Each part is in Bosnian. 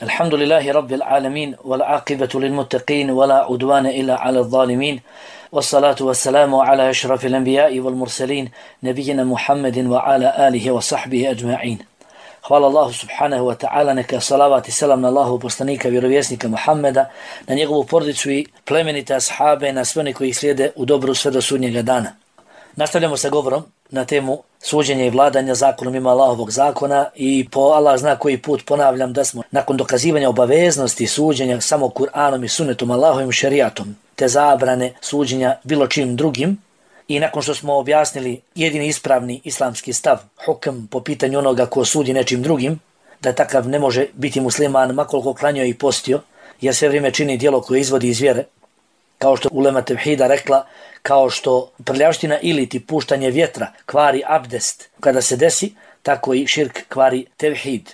الحمد لله رب العالمين والعاقبة للمتقين ولا عدوان إلا على الظالمين والصلاة والسلام على أشرف الأنبياء والمرسلين نبينا محمد وعلى آله وصحبه أجمعين. Hvala Allahu subhanahu wa ta'ala, neka salavat i selam na Allahu poslanika, vjerovjesnika Muhammeda, na njegovu porodicu i plemenite ashabe, na sve one koji ih slijede u dobru sve do sudnjega dana. Nastavljamo sa govorom na temu suđenja i vladanja zakonom mimo Allahovog zakona i po Allah zna koji put ponavljam da smo nakon dokazivanja obaveznosti suđenja samo Kur'anom i sunnetom Allahovim šerijatom te zabrane suđenja bilo čim drugim i nakon što smo objasnili jedini ispravni islamski stav, hukm po pitanju onoga ko sudi nečim drugim, da takav ne može biti musliman makoliko klanjao i postio, jer sve vrijeme čini djelo koje izvodi iz vjere, kao što ulema tevhida rekla, kao što prljavština ili ti puštanje vjetra kvari abdest kada se desi, tako i širk kvari tevhid.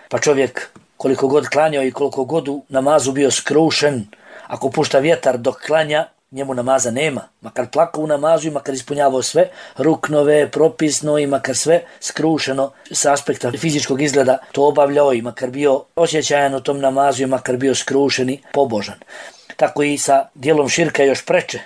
Pa čovjek koliko god klanjao i koliko god u namazu bio skrušen, ako pušta vjetar dok klanja, njemu namaza nema. Makar plakao u namazu i makar ispunjavao sve ruknove, propisno i makar sve skrušeno sa aspekta fizičkog izgleda to obavljao i makar bio osjećajan u tom namazu i makar bio skrušen i pobožan. Tako i sa dijelom širka još preče,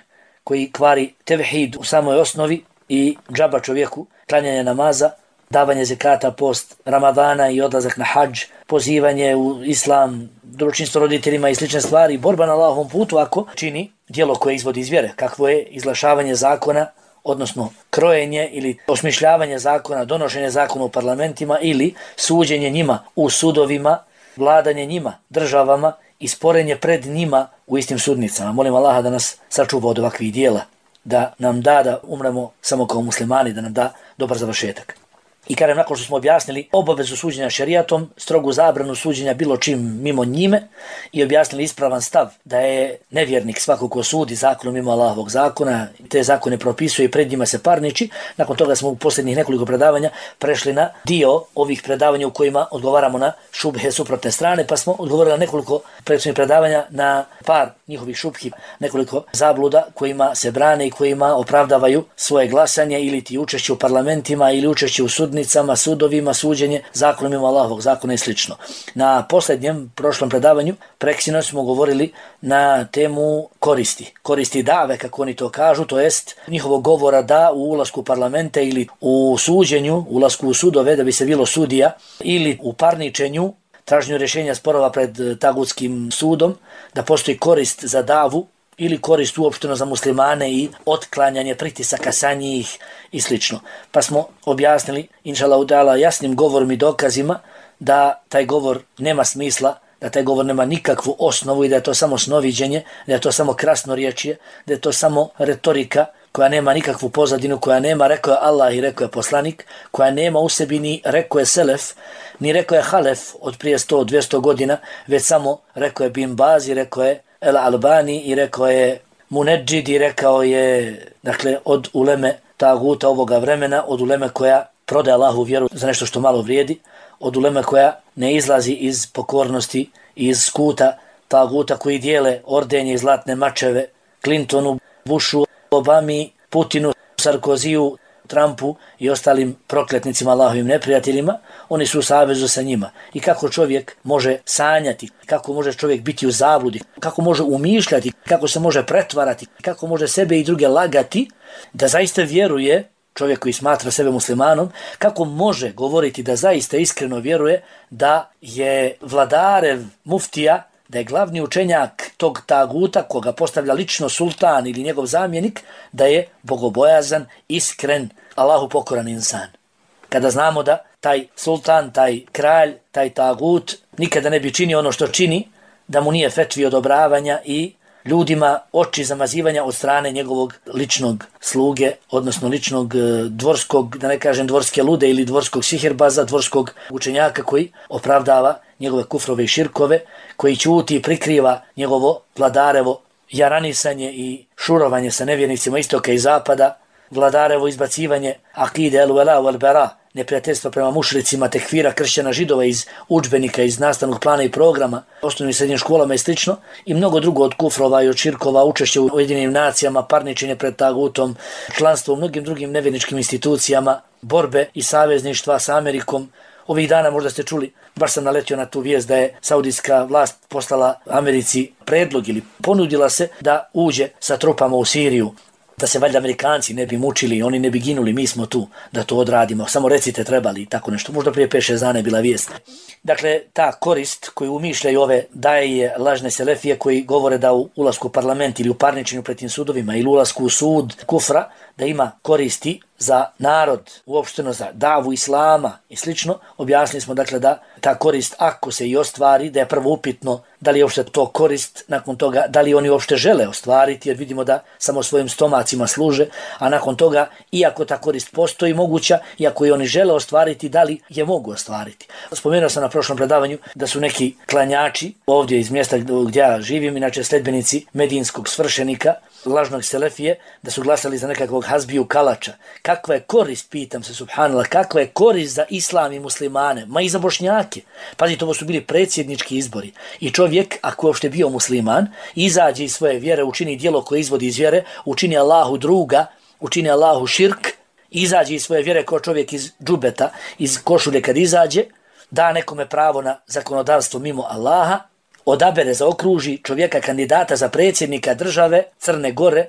koji kvari tevhid u samoj osnovi i džaba čovjeku, klanjanje namaza, davanje zekata, post Ramadana i odlazak na hadž, pozivanje u islam, dobročinstvo roditeljima i slične stvari, borba na Allahovom putu ako čini djelo koje izvodi iz vjere, kakvo je izglašavanje zakona, odnosno krojenje ili osmišljavanje zakona, donošenje zakona u parlamentima ili suđenje njima u sudovima, vladanje njima, državama i sporenje pred njima u istim sudnicama. Molim Allaha da nas sačuva od ovakvih dijela, da nam da umremo samo kao muslimani, da nam da dobar završetak. I kažem, nakon što smo objasnili obavezu suđenja šerijatom, strogu zabranu suđenja bilo čim mimo njime i objasnili ispravan stav da je nevjernik svako ko sudi zakonom mimo Allahovog zakona, te zakone propisuje i pred njima se parniči, nakon toga smo u posljednjih nekoliko predavanja prešli na dio ovih predavanja u kojima odgovaramo na šubhe suprotne strane, pa smo odgovorili na nekoliko prethodnih predavanja na par njihovih šubhi, nekoliko zabluda kojima se brane i kojima opravdavaju svoje glasanje ili ti učešće u parlamentima ili učešće u sudnicama, sudovima, suđenje zakonom mimo Allahovog zakona i slično. Na posljednjem prošlom predavanju preksino smo govorili na temu koristi dave, kako oni to kažu, to jest njihovog govora da u ulasku u parlamente ili u suđenju, ulasku u sudove da bi se bilo sudija ili u parničenju, traženju rješenja sporova pred tagutskim sudom, da postoji korist za davu ili korist uopšteno za muslimane i otklanjanje pritisaka sa njih i slično. Pa smo objasnili, inšallahu ta'ala, jasnim govorom i dokazima da taj govor nema smisla, da taj govor nema nikakvu osnovu i da je to samo snoviđenje, da je to samo krasnorječje, da je to samo retorika koja nema nikakvu pozadinu, koja nema rekao je Allah i rekao je poslanik, koja nema u sebi ni rekao je selef, ni rekao je halef od prije 100-200 godina, već samo rekao je Bin Baz i rekao je El Albani i rekao je Munedžid i rekao je, dakle, od uleme taguta ovoga vremena, od uleme koja prodaje Allahu vjeru za nešto što malo vrijedi, od uleme koja ne izlazi iz pokornosti, iz skuta taguta koji dijele ordenje i zlatne mačeve Clintonu, Bushu, Obami, Putinu, Sarkoziju, Trumpu i ostalim prokletnicima Allahovim neprijateljima, oni su u savezu sa njima. I kako čovjek može sanjati, kako može čovjek biti u zabludi, kako može umišljati, kako se može pretvarati, kako može sebe i druge lagati, da zaista vjeruje, čovjek koji smatra sebe muslimanom, kako može govoriti da zaista iskreno vjeruje da je vladarev muftija, da je glavni učenjak tog taguta koga postavlja lično sultan ili njegov zamjenik, da je bogobojazan, iskren, Allahu pokoran insan. Kada znamo da taj sultan, taj kralj, taj tagut nikada ne bi činio ono što čini, da mu nije fetvi odobravanja i ljudima oči zamazivanja od strane njegovog ličnog sluge, odnosno ličnog dvorskog, da ne kažem dvorske lude ili dvorskog sihirbaza, dvorskog učenjaka koji opravdava njegove kufrove i širkove, koji ćuti i prikriva njegovo vladarevo jaranisanje i šurovanje sa nevjernicima istoka i zapada, vladarevo izbacivanje akide el-wala wal-bara, neprijateljstva prema mušricima, tekfira kršćana židova iz udžbenika, iz nastavnog plana i programa, osnovnim i srednjim školama i slično, i mnogo drugo od kufrova i od širkova, učešće u Ujedinjenim nacijama, parničenje pred tagutom, članstvo u mnogim drugim nevjerničkim institucijama, borbe i savezništva sa Amerikom, Ovih dana možda ste čuli, baš sam naletio na tu vijest da je saudijska vlast poslala Americi predlog ili ponudila se da uđe sa trupama u Siriju, da se valjda Amerikanci ne bi mučili, oni ne bi ginuli, mi smo tu da to odradimo, samo recite trebali i tako nešto. Možda prije 5-6 dana je bila vijest. Dakle, ta korist koju umišljaju ove daje lažne selefije koji govore da u ulasku u parlament ili u parničenju pred tim sudovima ili ulasku u sud kufra, da ima koristi za narod, uopšteno za davu islama i slično, objasnili smo dakle da ta korist ako se i ostvari, da je prvo upitno da li je uopšte to korist, nakon toga da li oni uopšte žele ostvariti, jer vidimo da samo svojim stomacima služe, a nakon toga iako ta korist postoji moguća, iako je oni žele ostvariti, da li je mogu ostvariti. Spomenuo sam na prošlom predavanju da su neki klanjači ovdje iz mjesta gdje ja živim, inače sledbenici medinskog svršenika, lažnog selefije, da su glasali za nekakvog Hazbiju Kalača. Kakva je korist, pitam se, subhanallah, kakva je korist za islam i muslimane, ma i za Bošnjake. Pazite, ovo su bili predsjednički izbori i čovjek, ako je uopšte bio musliman, izađe iz svoje vjere, učini djelo koje izvodi iz vjere, učini Allahu druga, učini Allahu širk, izađe iz svoje vjere kao čovjek iz džubeta, iz košulje kad izađe, da nekome pravo na zakonodavstvo mimo Allaha, odabere, zaokruži čovjeka kandidata za predsjednika države Crne Gore,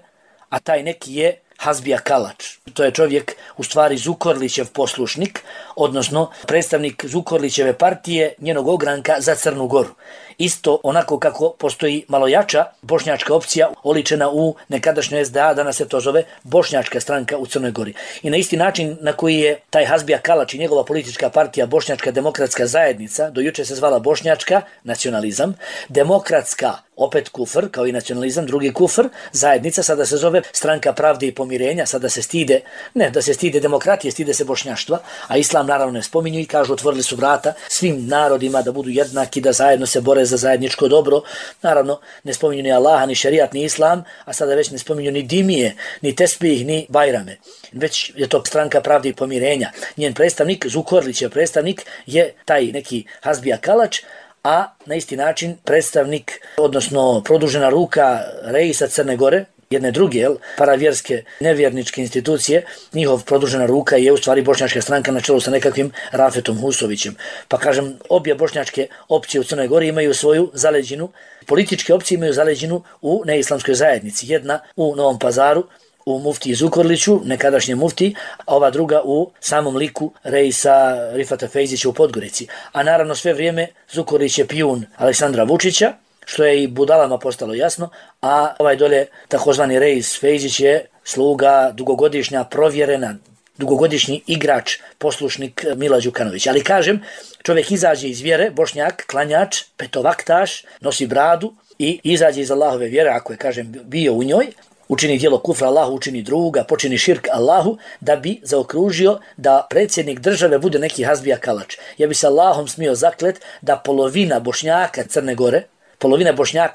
a taj neki je Hazbija Kalač. To je čovjek, u stvari, Zukorlićev poslušnik, odnosno predstavnik Zukorlićeve partije, njenog ogranka za Crnu Goru. Isto onako kako postoji malo jača bošnjačka opcija oličena u nekadašnjoj SDA, danas se to zove Bošnjačka stranka u Crnoj Gori. I na isti način na koji je taj Hazbija Kalač i njegova politička partija Bošnjačka demokratska zajednica, do juče se zvala Bošnjačka nacionalizam, demokratska opet kufr, kao i nacionalizam, drugi kufr, zajednica, sada se zove Stranka pravde i pomirenja, sada se stide, ne da se stide demokratije, stide se bošnjaštva, a islam naravno ne spominju i kažu otvorili su vrata svim narodima da budu jednaki, da zajedno se bore za zajedničko dobro. Naravno, ne spominju ni Allaha, ni šerijat, ni islam, a sada već ne spominju ni dimije, ni tespih, ni bajrame. Već je to Stranka pravde i pomirenja. Njen predstavnik, Zukorlićev predstavnik, je taj neki Hazbija Kalač, a na isti način predstavnik, odnosno produžena ruka reisa Crne Gore, jedne druge paravjerske nevjerničke institucije, njihov produžena ruka je u stvari Bošnjačka stranka na čelu sa nekakvim Rafetom Husovićem. Pa kažem, obje bošnjačke opcije u Crnoj Gori imaju svoju zaleđinu, političke opcije imaju zaleđinu u neislamskoj zajednici. Jedna u Novom Pazaru, u muftiji Zukorliću, nekadašnje muftiji, a ova druga u samom liku reisa Rifata Fejzića u Podgorici. A naravno sve vrijeme Zukorlić je pijun Aleksandra Vučića, što je i budalama postalo jasno, a ovaj dole takozvani reis Fejzić je sluga, dugogodišnja, provjerena, dugogodišnji igrač, poslušnik Mila Đukanovića. Ali kažem, čovjek izađe iz vjere, Bošnjak, klanjač, petovaktaš, nosi bradu i izađe iz Allahove vjere, ako je, kažem, bio u njoj, učini djelo kufra Allahu, učini druga, počini širk Allahu, da bi zaokružio da predsjednik države bude neki Hazbija Kalač. Ja bi se Allahom smio zaklet da polovina Bošnjaka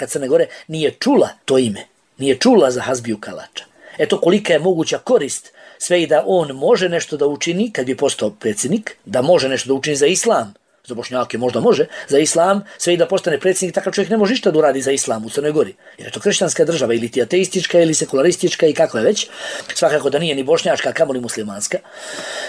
Crne Gore nije čula to ime, nije čula za Hazbiju Kalača. Eto kolika je moguća korist, sve i da on može nešto da učini kad bi postao predsjednik, da može nešto da učini za islam, za Bošnjake možda može, za islam, sve i da postane predsjednik, takav čovjek ne može ništa da uradi za islam u Crnoj Gori. Jer je to kršćanska država, ili ti ateistička, ili sekularistička i kako je već. Svakako da nije ni bošnjačka, kamoli muslimanska.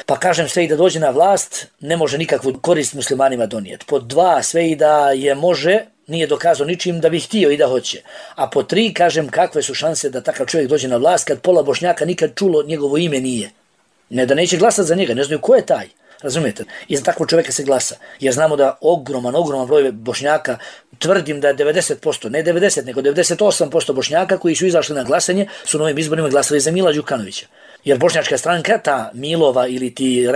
Pa kažem, sve i da dođe na vlast, ne može nikakvu korist muslimanima donijeti. Pod dva, sve i da je može, nije dokazao ničim da bi htio i da hoće. A po tri, kažem, kakve su šanse da takav čovjek dođe na vlast kad pola Bošnjaka nikad čulo njegovo ime nije. Ne da neće glasati za njega, ne znaju ko je taj. Razumijete? I za takvog čovjeka se glasa. Jer znamo da ogroman broj Bošnjaka, tvrdim da je 90%, ne 90, nego 98% Bošnjaka koji su izašli na glasanje su na ovim izborima glasali za Mila Đukanovića. Jer Bošnjačka stranka, ta Milova ili ti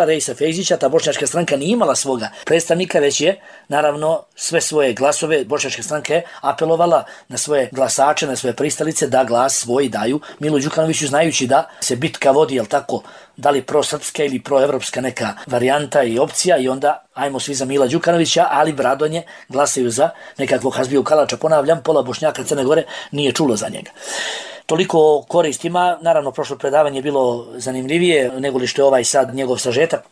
Reisa Fejzića, ta Bošnjačka stranka nije imala svoga predstavnika, već je, naravno, sve svoje glasove Bošnjačka stranka je apelovala na svoje glasače, na svoje pristalice da glas svoj daju Milu Đukanoviću, znajući da se bitka vodi, jel tako, da li prosrpska ili proevropska neka varijanta i opcija i onda ajmo svi za Mila Đukanovića, ali bradonje glasaju za nekakvog Hazbiju Kalača. Ponavljam, pola Bošnjaka Crne Gore nije čulo za njega. Toliko o koristima, naravno prošlo predavanje je bilo zanimljivije nego li što je ovaj sad njegov sažetak.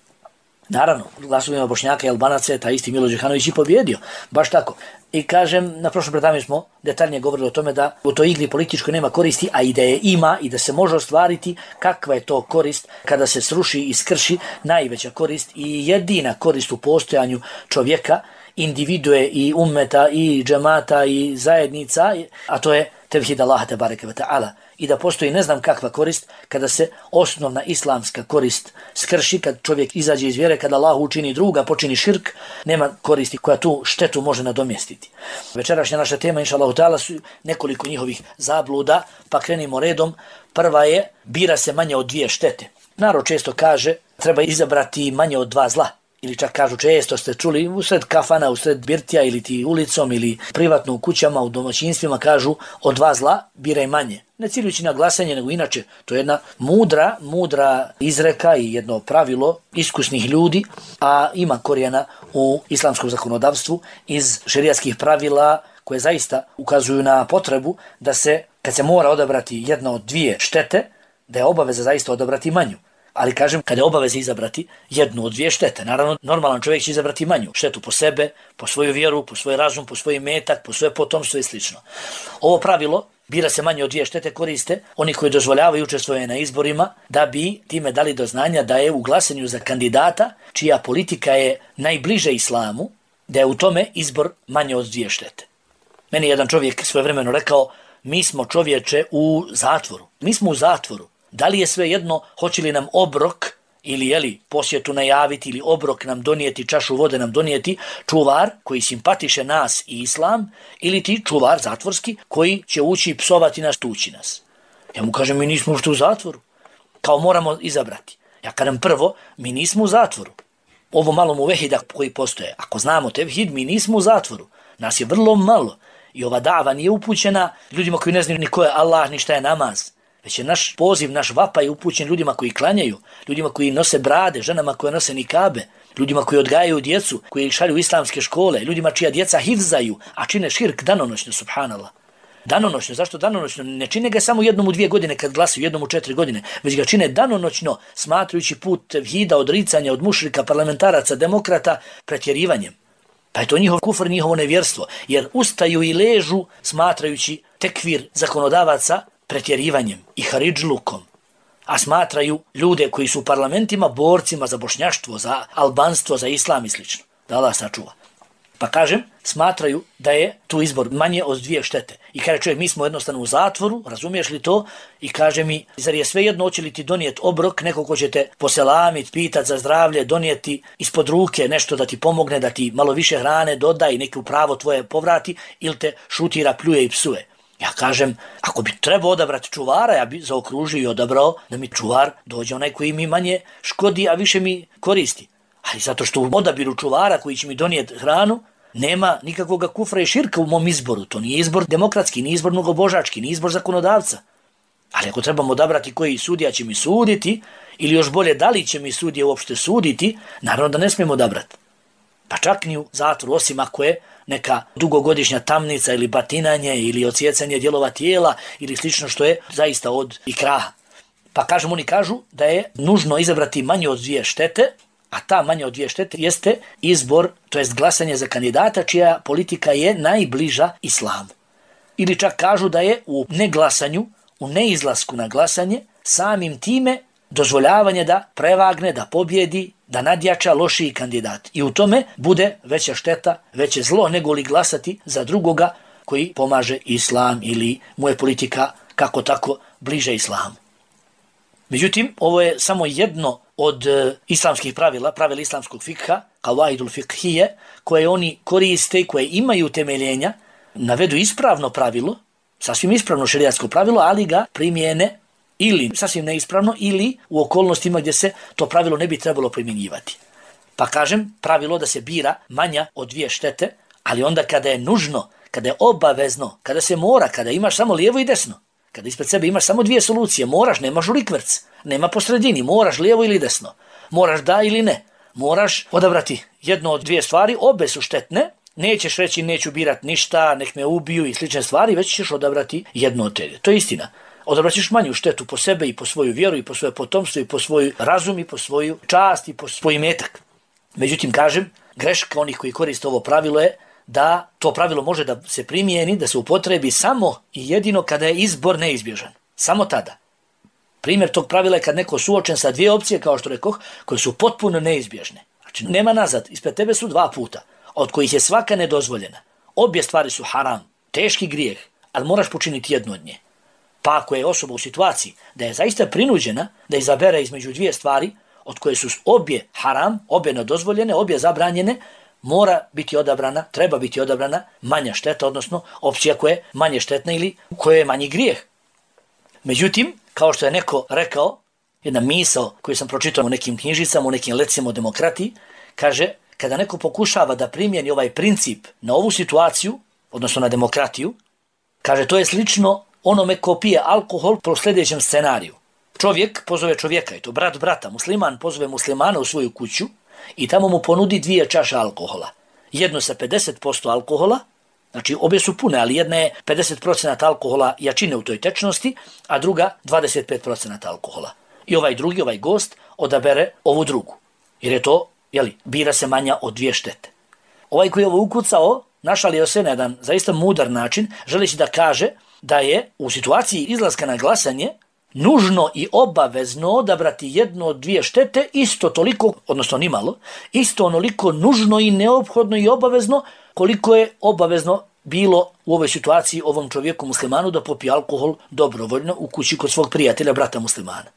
Naravno, glasovima Bošnjaka i Albanaca je taj isti Milo Đukanović i pobjedio. Baš tako. I kažem, na prošlom predavanju smo detaljnije govorili o tome da u toj igri političkoj nema koristi, a i da je ima i da se može ostvariti kakva je to korist kada se sruši i skrši najveća korist i jedina korist u postojanju čovjeka, individue i ummeta i džemata i zajednica, a to je tevhid Allaha tebareke ve ta'ala. I da postoji ne znam kakva korist kada se osnovna islamska korist skrši, kad čovjek izađe iz vjere, kada Allah učini druga, počini širk, nema koristi koja tu štetu može nadomjestiti. Večerašnja naša tema, inša Allahu ta'ala, su nekoliko njihovih zabluda, pa krenimo redom. Prva je, bira se manje od 2 štete. Narod često kaže, treba izabrati manje od 2 zla. Ili čak kažu, često ste čuli, usred kafana, usred birtija ili ti ulicom ili privatno u kućama, u domaćinstvima kažu od 2 zla biraj manje. Ne ciljujući na glasanje, nego inače. To je jedna mudra izreka i jedno pravilo iskusnih ljudi, a ima korijena u islamskom zakonodavstvu iz šerijatskih pravila koje zaista ukazuju na potrebu da se, kad se mora odabrati jedna od 2 štete, da je obaveza zaista odabrati manju. Ali kažem, kada je obaveza izabrati jednu od 2 štete, naravno normalan čovjek će izabrati manju štetu po sebe, po svoju vjeru, po svoj razum, po svoj metak, po svoje potomstvo i slično. Ovo pravilo, bira se manje od 2 štete, koriste oni koji dozvoljavaju učestvovanje na izborima da bi time dali do znanja da je u glasanju za kandidata čija politika je najbliže islamu, da je u tome izbor manje od 2 štete. Meni je jedan čovjek svojevremeno rekao, mi smo čovječe u zatvoru. Mi smo u zatvoru. Da li je sve jedno, hoće li nam obrok ili posjetu najaviti ili obrok nam donijeti, čašu vode nam donijeti čuvar koji simpatiše nas i islam ili ti čuvar zatvorski koji će ući i psovati nas, tući nas. Ja mu kažem, mi nismo ušte u zatvoru. Kao moramo izabrati. Ja kažem prvo, mi nismo u zatvoru. Ovo malo muvehida koji postoje. Ako znamo tevhid, mi nismo u zatvoru. Nas je vrlo malo. I ova dava nije upućena ljudima koji ne znaju ni ko je Allah, ni šta je namaz. Već je naš poziv, naš vapaj upućen ljudima koji klanjaju, ljudima koji nose brade, ženama koje nose nikabe, ljudima koji odgajaju djecu, koji šalju u islamske škole, ljudima čija djeca hifzaju, a čine širk danonoćno, subhanallah. Danonoćno, zašto danonoćno? Ne čine ga samo jednom u 2 godine kad glasaju, jednom u 4 godine, već ga čine danonoćno, smatrajući put tevhida, odricanja od mušrika, parlamentaraca, demokrata, pretjerivanjem. Pa je to njihov kufr, njihovo nevjerstvo, jer ustaju i ležu smatrajući tekvir zakonodavaca pretjerivanjem i haridžlukom, a smatraju ljude koji su u parlamentima borcima za bošnjaštvo, za albanstvo, za islam i sl. Da Allah sačuva. Pa kažem, smatraju da je tu izbor manje od 2 štete. I kaže čovjek, mi smo jednostavno u zatvoru, razumiješ li to? I kaže mi, zar je svejedno, hoće li ti donijeti obrok, neko ko će te poselamiti, pitati za zdravlje, donijeti ispod ruke nešto da ti pomogne, da ti malo više hrane doda i neko pravo tvoje povrati, ili te šutira, pljuje i psuje. Ja kažem, ako bi trebao odabrati čuvara, ja bi zaokružio i odabrao da mi čuvar dođe onaj koji mi manje škodi, a više mi koristi. Ali zato što u odabiru čuvara koji će mi donijeti hranu, nema nikakvog kufra i širka u mom izboru. To nije izbor demokratski, nije izbor mnogobožački, nije izbor zakonodavca. Ali ako trebamo odabrati koji sudija će mi suditi, ili još bolje da li će mi sudije uopšte suditi, naravno da ne smijemo odabrati. Pa čak ni u zatvoru, osim ako je neka dugogodišnja tamnica ili batinanje ili odsjecanje dijelova tijela ili slično što je zaista od ikraha. Pa oni kažu da je nužno izabrati manje od 2 štete, a ta manje od 2 štete jeste izbor, to jest glasanje za kandidata čija politika je najbliža islamu. Ili čak kažu da je u neglasanju, u neizlasku na glasanje, samim time dozvoljavanje da prevagne, da pobjedi, da nadjača lošiji kandidat. I u tome bude veća šteta, veće zlo nego li glasati za drugoga koji pomaže islam ili mu je politika kako tako bliže islamu. Međutim, ovo je samo jedno od islamskih pravila islamskog fikha, kavaidul fikhije, koje oni koriste i koje imaju temeljenja, navedu ispravno pravilo, sasvim ispravno šerijatsko pravilo, ali ga primjene ili sasvim neispravno ili u okolnostima gdje se to pravilo ne bi trebalo primjenjivati. Pa kažem, pravilo da se bira manja od 2 štete, ali onda kada je nužno, kada je obavezno, kada se mora, kada imaš samo lijevo i desno, kada ispred sebe imaš samo 2 solucije, moraš, nemaš rikverc, nema po sredini, moraš lijevo ili desno, moraš da ili ne, moraš odabrati jedno od 2 stvari, obe su štetne, nećeš reći neću birat ništa, nek me ubiju i slične stvari, već ćeš odabrati jedno od te. To je istina. Odabraćeš manju štetu po sebe i po svoju vjeru i po svoje potomstvo i po svoj razum i po svoju čast i po svoj metak. Međutim, kažem, greška onih koji koriste ovo pravilo je da to pravilo može da se primijeni, da se upotrebi samo i jedino kada je izbor neizbježan. Samo tada. Primjer tog pravila je kad neko suočen sa dvije opcije, kao što rekoh, koje su potpuno neizbježne. Znači, nema nazad. Ispred tebe su dva puta, od kojih je svaka nedozvoljena. Obje stvari su haram, teški grijeh, ali moraš počiniti jednu od nje. Pa ako je osoba u situaciji da je zaista prinuđena da izabere između dvije stvari, od koje su obje haram, obje nedozvoljene, obje zabranjene, mora biti odabrana, treba biti odabrana manja šteta, odnosno opcija koja je manje štetna ili koja je manji grijeh. Međutim, kao što je neko rekao, jedna misao koju sam pročitao u nekim knjižicama, u nekim lecima o demokratiji, kaže, kada neko pokušava da primjeni ovaj princip na ovu situaciju, odnosno na demokratiju, kaže, to je slično onome ko pije alkohol po sljedećem scenariju. Čovjek pozove čovjeka, i to brat brata, musliman pozove muslimana u svoju kuću i tamo mu ponudi 2 čaše alkohola. Jedno sa 50% alkohola, znači obje su pune, ali jedna je 50% alkohola jačine u toj tečnosti, a druga 25% alkohola. I ovaj drugi, ovaj gost, odabere ovu drugu. Jer je to, bira se manja od 2 štete. Ovaj koji je ovo ukucao, našalio se na jedan zaista mudar način, želeći da kaže da je u situaciji izlaska na glasanje nužno i obavezno odabrati jednu od 2 štete, isto toliko, odnosno nimalo, isto onoliko nužno i neophodno i obavezno koliko je obavezno bilo u ovoj situaciji ovom čovjeku muslimanu da popije alkohol dobrovoljno u kući kod svog prijatelja, brata muslimana.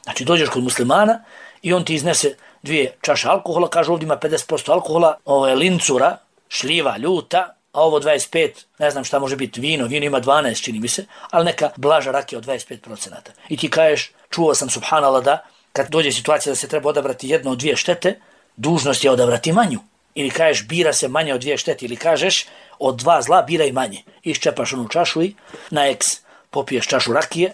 Znači dođeš kod muslimana i on ti iznese 2 čaše alkohola, kaže ovdje ima 50% alkohola, ovo je lincura, šljiva, ljuta, a ovo 25, ne znam šta može biti, vino ima 12 čini mi se, ali neka blaža rakija od 25%. I ti kažeš, čuo sam subhanallah da kad dođe situacija da se treba odabrati jedno od 2 štete, dužnost je odabrati manju. Ili kažeš bira se manje od 2 štete, ili kažeš od 2 zla biraj manje. Iščepaš onu čašu i na eks popiješ čašu rakije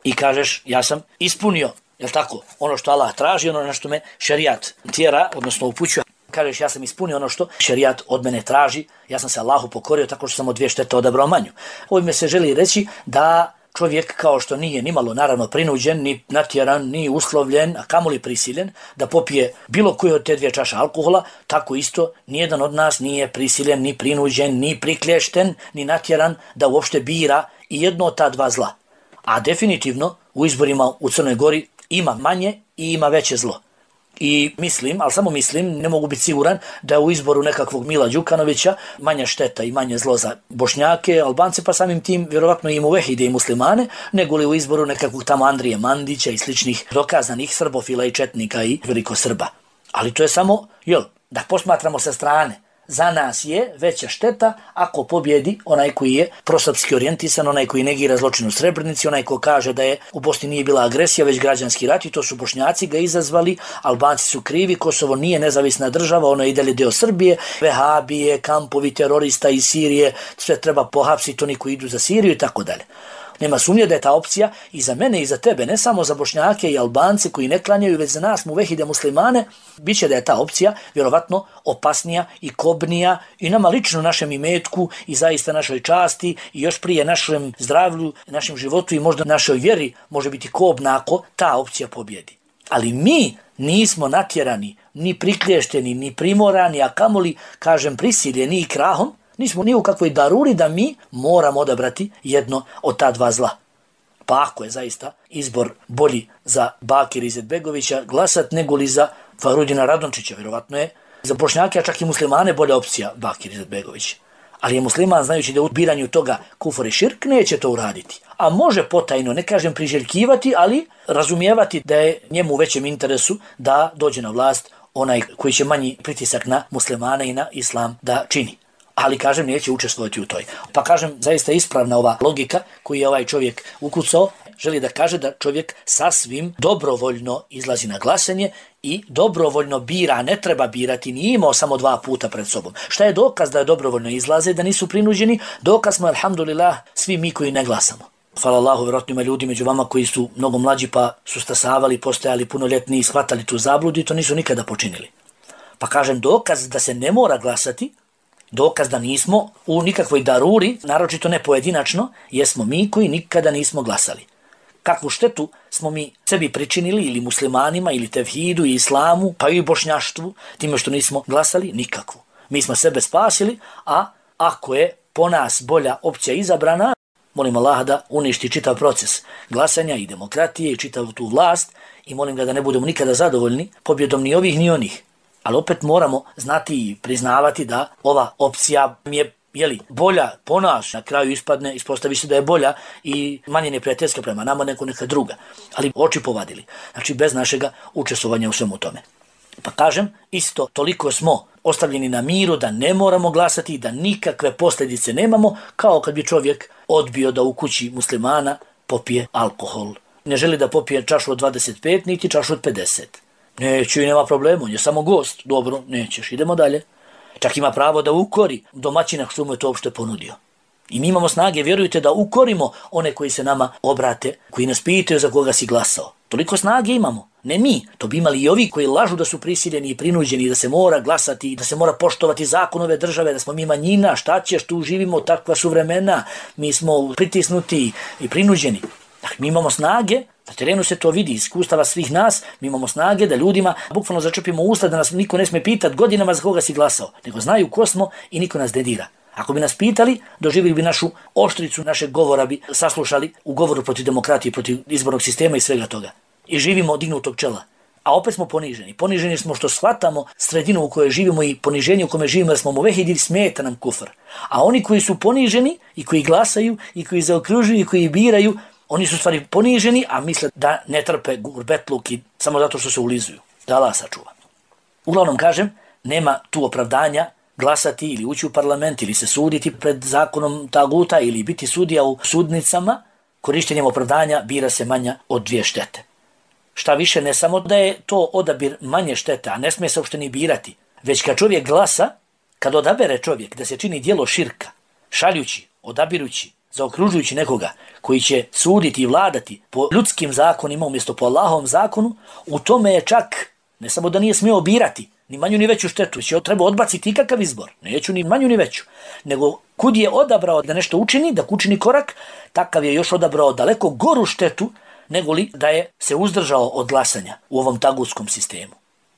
i kažeš ja sam ispunio, jel tako, ono što Allah traži, ono na što me šerijat tjera, odnosno upućuje. Kažeš ja sam ispunio ono što šerijat od mene traži, ja sam se Allahu pokorio tako što sam od 2 štete odabrao manju. Ovime se želi reći da čovjek kao što nije nimalo naravno prinuđen, ni natjeran, ni uslovljen, a kamoli prisiljen da popije bilo koju od te 2 čaše alkohola, tako isto nijedan od nas nije prisiljen, ni prinuđen, ni priklješten, ni natjeran da uopšte bira i jedno od ta 2 zla. A definitivno u izborima u Crnoj Gori ima manje i ima veće zlo. I mislim, ali samo mislim, ne mogu biti siguran da je u izboru nekakvog Mila Đukanovića manja šteta i manje zlo za Bošnjake, Albance, pa samim tim vjerovatno i muvehide i muslimane, nego li u izboru nekakvog tamo Andrije Mandića i sličnih dokazanih srbofila i četnika i velikosrba. Ali to je samo, da posmatramo sa strane. Za nas je veća šteta ako pobjedi onaj koji je prosrpski orijentisan, onaj koji negira zločin u Srebrenici, onaj ko kaže da je u Bosni nije bila agresija, već građanski rat i to su Bošnjaci ga izazvali, Albanci su krivi, Kosovo nije nezavisna država, ono je i dalje deo Srbije, vehabije, kampovi terorista iz Sirije, sve treba pohapsiti, oni koji idu za Siriju i tako dalje. Nema sumnje da je ta opcija i za mene i za tebe, ne samo za Bošnjake i Albance koji ne klanjaju, već za nas muvehide muslimane, bit će da je ta opcija vjerovatno opasnija i kobnija i nama lično našem imetku i zaista našoj časti i još prije našem zdravlju, našem životu i možda našoj vjeri može biti kobna ako ta opcija pobjedi. Ali mi nismo natjerani, ni priklješteni, ni primorani, a kamoli, kažem, prisiljeni i krahom, nismo ni u kakvoj daruri da mi moramo odabrati jedno od ta 2 zla. Pa ako je zaista izbor bolji za Bakira Izetbegovića glasat nego li za Farudina Radončića, vjerovatno je za Bošnjake, a čak i muslimane bolja opcija Bakir Izetbegović. Ali je musliman znajući da u biranju toga kufur i širk neće to uraditi. A može potajno, ne kažem priželjkivati, ali razumijevati da je njemu u većem interesu da dođe na vlast onaj koji će manji pritisak na muslimane i na islam da čini. Ali, kažem, neće učestvovati u toj. Pa, kažem, zaista ispravna ova logika koju je ovaj čovjek ukucao, želi da kaže da čovjek sasvim dobrovoljno izlazi na glasanje i dobrovoljno bira, ne treba birati, nije imao samo 2 puta pred sobom. Šta je dokaz da je dobrovoljno izlaze, da nisu prinuđeni? Dokaz smo, alhamdulillah, svi mi koji ne glasamo. Hvala Allahu, vjerojatno ima ljudi među vama koji su mnogo mlađi pa su stasavali, postajali punoljetni i shvatali tu zabludu i to nisu nikada počinili. Pa, kažem, dokaz da se ne mora glasati, dokaz da nismo u nikakvoj daruri, naročito ne pojedinačno, jesmo mi koji nikada nismo glasali. kakvu štetu smo mi sebi pričinili ili muslimanima ili tevhidu i islamu, pa i bošnjaštvu, time što nismo glasali? Nikakvu. Mi smo sebe spasili, a ako je po nas bolja opcija izabrana, molim Allaha da uništi čitav proces glasanja i demokratije i čitavu tu vlast i molim ga da ne budemo nikada zadovoljni pobjedom ni ovih ni onih. Ali opet moramo znati i priznavati da ova opcija je bolja po nas, na kraju ispostavi se da je bolja i manje neprijateljska prema nama nego neka druga. Ali oči povadili. Znači bez našega učestvovanja u svemu tome. Pa kažem, isto toliko smo ostavljeni na miru da ne moramo glasati i da nikakve posljedice nemamo, kao kad bi čovjek odbio da u kući muslimana popije alkohol. Ne želi da popije čašu od 25, niti čašu od 50. Neće i nema problema, on je samo gost. Dobro, nećeš, idemo dalje. Čak ima pravo da ukori domaćina što mu je to uopšte ponudio. I mi imamo snage, vjerujte, da ukorimo one koji se nama obrate, koji nas pitaju za koga si glasao. Toliko snage imamo. Ne mi, to bi imali i ovi koji lažu da su prisiljeni i prinuđeni, da se mora glasati, da se mora poštovati zakon ove države, da smo mi manjina, šta ćeš, tu živimo, takva su vremena, mi smo pritisnuti i prinuđeni. Dakle, mi imamo snage, na terenu se to vidi, iskustava svih nas, mi imamo snage da ljudima bukvalno začepimo usta, da nas niko ne smije pitati godinama za koga si glasao, nego znaju ko smo i niko nas ne dira. Ako bi nas pitali, doživjeli bi našu oštricu, našeg govora bi saslušali u govoru protiv demokratije, protiv izbornog sistema i svega toga. I živimo od dignutog čela. A opet smo poniženi. Poniženi smo što shvatamo sredinu u kojoj živimo i poniženje u kome živimo, jer smo muvehidi, smeta nam kufr. A oni koji su poniženi i koji glasaju i koji zaokružuju i koji biraju, oni su stvari poniženi, a misle da ne trpe gurbetluk i samo zato što se ulizuju. Da Allah sačuva. Uglavnom kažem, nema tu opravdanja glasati ili ući u parlament ili se suditi pred zakonom taguta ili biti sudija u sudnicama. Korištenjem opravdanja bira se manja od 2 štete. Šta više, ne samo da je to odabir manje štete, a ne smije se uopšte ni birati, već kad čovjek glasa, kad odabere čovjek da se čini djelo širka, šaljući, odabirući, zaokružujući nekoga koji će suditi i vladati po ljudskim zakonima umjesto po Allahovom zakonu, u tome je čak ne samo da nije smio birati ni manju ni veću štetu, već je treba odbaciti ikakav izbor, neću ni manju ni veću, nego kud je odabrao da nešto učini, da učini korak, takav je još odabrao daleko goru štetu nego li da je se uzdržao od glasanja u ovom tagutskom sistemu.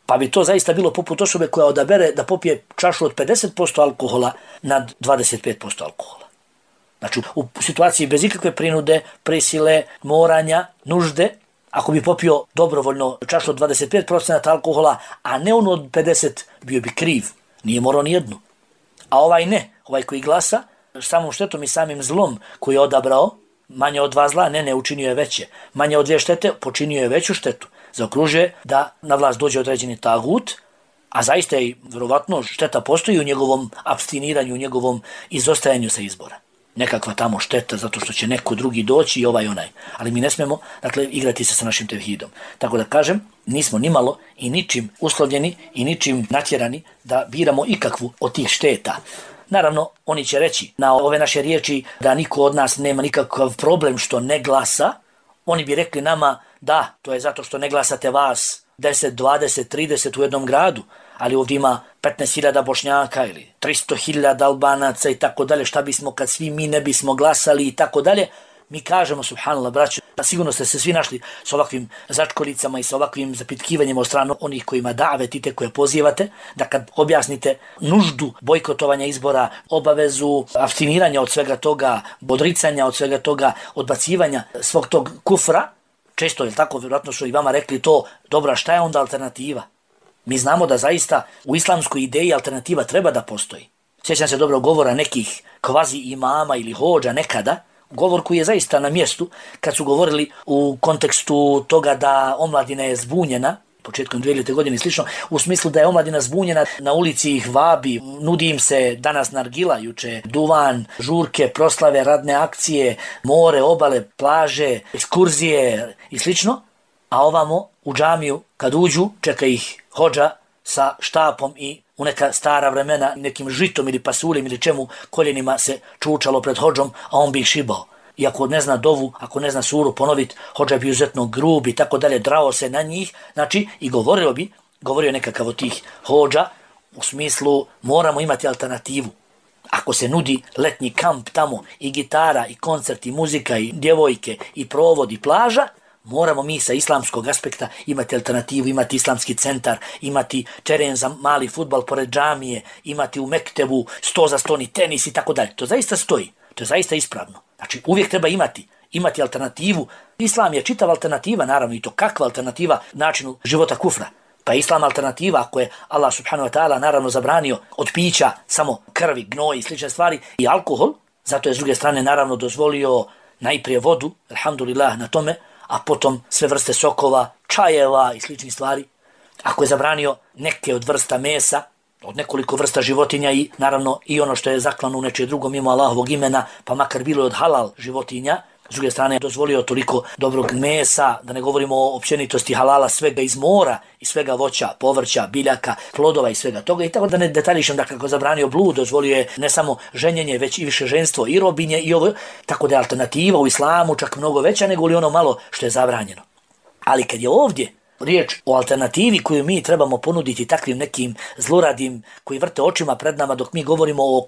Pa bi to zaista bilo poput osobe koja odabere da popije čašu od 50% alkohola nad 25% alkohola. Znači, u situaciji bez ikakve prinude, prisile, moranja, nužde, ako bi popio dobrovoljno čašu od 25% alkohola, a ne ono od 50, bio bi kriv. Nije morao ni jednu. A ovaj ne, ovaj koji glasa, samom štetom i samim zlom koji je odabrao, manje od 2 zla, ne, učinio je veće. Manje od 2 štete, počinio je veću štetu. Zaokružuje da na vlast dođe određeni tagut, a zaista je vjerovatno šteta postoji u njegovom abstiniranju, u njegovom izostajanju sa izbora. Nekakva tamo šteta zato što će neko drugi doći i ovaj onaj. Ali mi ne smemo, dakle, igrati se sa našim tevhidom. Tako da kažem, nismo nimalo i ničim uslovljeni i ničim natjerani da biramo ikakvu od tih šteta. Naravno, oni će reći na ove naše riječi da niko od nas nema nikakav problem što ne glasa. Oni bi rekli nama da, to je zato što ne glasate vas 10, 20, 30 u jednom gradu, ali ovdje ima 15.000 Bošnjaka ili 300.000 Albanaca i tako dalje, šta bismo kad svi mi ne bismo glasali i tako dalje. Mi kažemo, subhanallah, braćo, sigurno ste se svi našli s ovakvim začkolicama i s ovakvim zapitkivanjima od strane onih kojima davetite, koje pozivate, da kad objasnite nuždu bojkotovanja izbora, obavezu abstiniranja od svega toga, odricanja od svega toga, odbacivanja svog tog kufra, često je tako, vjerojatno su i vama rekli to, dobra, šta je onda alternativa? Mi znamo da zaista u islamskoj ideji alternativa treba da postoji. Sjećam se dobro govora nekih kvazi imama ili hođa nekada, govor koji je zaista na mjestu kad su govorili u kontekstu toga da omladina je zbunjena, početkom 2000. godine i slično, u smislu da je omladina zbunjena, na ulici ih vabi, nudi im se danas nargila, juče duvan, žurke, proslave, radne akcije, more, obale, plaže, ekskurzije i slično, a ovamo u džamiju kad uđu čeka ih hođa sa štapom i u neka stara vremena nekim žitom ili pasuljem ili čemu koljenima se čučalo pred hođom, a on bi ih šibao. I ako ne zna dovu, ako ne zna suru ponoviti, hođa bi uzetno grub i tako dalje, drao se na njih, znači i govorio nekakav od tih hođa u smislu moramo imati alternativu. Ako se nudi letnji kamp tamo i gitara i koncert i muzika i djevojke i provod i plaža, moramo mi sa islamskog aspekta imati alternativu, imati islamski centar, imati teren za mali fudbal pored džamije, imati u Mektebu 100 za 100 tenis i tako dalje. To zaista stoji, to je zaista ispravno. Znači uvijek treba imati alternativu. Islam je čitava alternativa, naravno, i to kakva alternativa načinu života kufra. Pa islam alternativa ako je Allah subhanahu wa ta'ala naravno zabranio od pića samo krvi, gnoj i slične stvari i alkohol, zato je s druge strane naravno dozvolio najprije vodu, alhamdulillah na tome, a potom sve vrste sokova, čajeva i sličnih stvari. Ako je zabranio neke od vrsta mesa, od nekoliko vrsta životinja i naravno i ono što je zaklano u nečije drugo mimo Allahovog imena, pa makar bilo od halal životinja, s druge strane je dozvolio toliko dobrog mesa, da ne govorimo o općenitosti halala svega iz mora i svega voća, povrća, biljaka, plodova i svega toga. I tako da ne detaljišem, da kako zabranio blud, dozvolio je ne samo ženjenje, već i više ženstvo i robinje i ovo. Tako da je alternativa u islamu čak mnogo veća nego li ono malo što je zabranjeno. Ali kad je ovdje riječ o alternativi koju mi trebamo ponuditi takvim nekim zluradim koji vrte očima pred nama dok mi govorimo o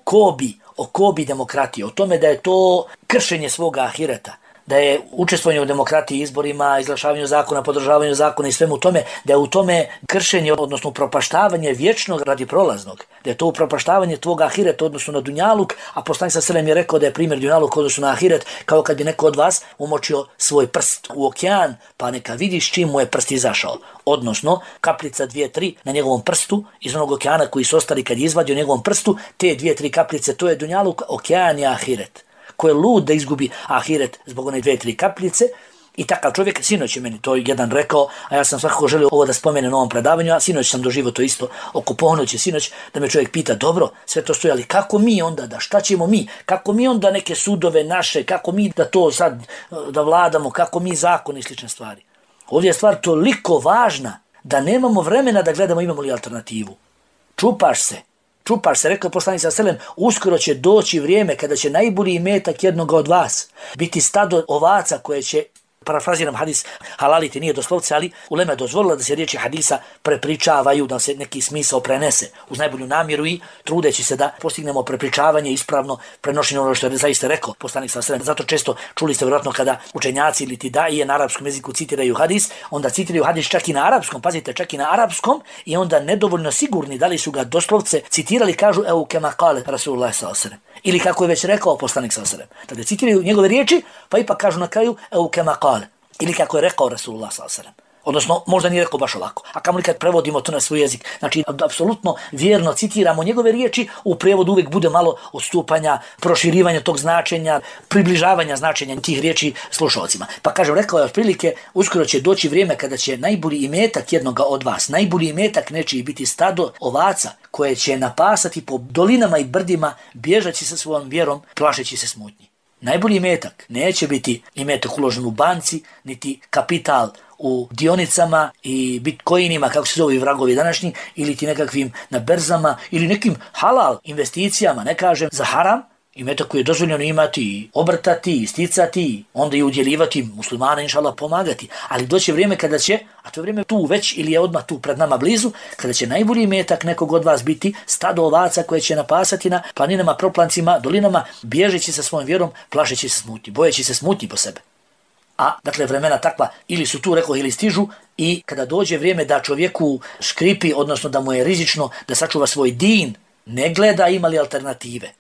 kobi demokratije, o tome da je to kršenje svoga ahireta, da je učestvovanje u demokratiji, izborima, izglašavanju zakona, podržavanju zakona i svemu tome, da je u tome kršenje, odnosno upropaštavanje vječnog radi prolaznog, da je to upropaštavanje tvoga ahireta odnosno na dunjaluk, a poslanik sallallahu alejhi ve sellem je rekao da je primjer dunjaluk odnosno na ahiret kao kad bi neko od vas umočio svoj prst u okean, pa neka vidiš čim mu je prst izašao, odnosno kapljica 2-3 na njegovom prstu iz onog okeana koji su ostali kad je izvadio njegovom prstu, te 2-3 kapljice, to je dunjaluk, okean je ahiret. Ko je lud da izgubi ahiret zbog one 2-3 kapljice. I takav čovjek, sinoć je meni to jedan rekao, a ja sam svakako želio ovo da spomene na ovom predavanju, a sinoć sam doživio to isto oko ponoći sinoć, da me čovjek pita, dobro, sve to stoji, ali kako mi onda da, šta ćemo mi, kako mi onda neke sudove naše, kako mi da to sad da vladamo, kako mi zakon i slične stvari. Ovdje je stvar toliko važna da nemamo vremena da gledamo imamo li alternativu. Čupaš se, rekao poslanik sallallahu alejhi ve sellem, uskoro će doći vrijeme kada će najbolji imetak jednoga od vas biti stado ovaca koje će, parafraziram hadis, halaliti nije doslovce, ali ulema je dozvolila da se riječi hadisa prepričavaju, da se neki smisao prenese uz najbolju namjeru i trudeći se da postignemo prepričavanje ispravno prenošenje ono što je zaista rekao poslanik sallallahu alejhi ve sellem. Zato često čuli ste vjerojatno kada učenjaci ili daije na arapskom jeziku citiraju hadis, onda citiraju hadis čak i na arapskom, pazite, čak i na arapskom, i onda nedovoljno sigurni da li su ga doslovce citirali, kažu evo kema kale Rasulullah sallallahu alejhi ve sellem, ili kako je već rekao poslanik sallallahu alejhi ve sellem. Tada citiraju njegove riječi, pa ipak kažu na kraju evo kema kale, ili kako je rekao Rasulullah sallallahu alejhi ve sellem. Odnosno, možda nije rekao baš ovako. A kamoli kad prevodimo to na svoj jezik, znači apsolutno vjerno citiramo njegove riječi, u prevodu uvijek bude malo odstupanja, proširivanja tog značenja, približavanja značenja tih riječi slušalcima. Pa kažem, rekao je otprilike, uskoro će doći vrijeme kada će najbolji imetak jednoga od vas, najbolji imetak nečiji biti stado ovaca koje će napasati po dolinama i brdima, bježeći sa svojom vjerom, plašeći se smutnji. Najbolji imetak neće biti imetak uložen u banci, niti kapital u dionicama i bitcoinima, kako se zove vragovi današnji, ili ti nekakvim na berzama, ili nekim halal investicijama, ne kažem za haram, imetak koji je dozvoljeno imati, obrtati, sticati, onda i udjeljivati muslimana, inšallah, pomagati. Ali doće vrijeme kada će, a to je vrijeme tu već ili je odmah tu pred nama blizu, kada će najbolji imetak nekog od vas biti stado ovaca koje će napasati na planinama, proplancima, dolinama, bježeći sa svojom vjerom, plašeći se smutnji, bojeći se smutnji po sebe. A dakle vremena takva ili su tu, rekao, ili stižu, i kada dođe vrijeme da čovjeku škripi, odnosno da mu je rizično da sačuva svoj din, ne gleda ima li alternative.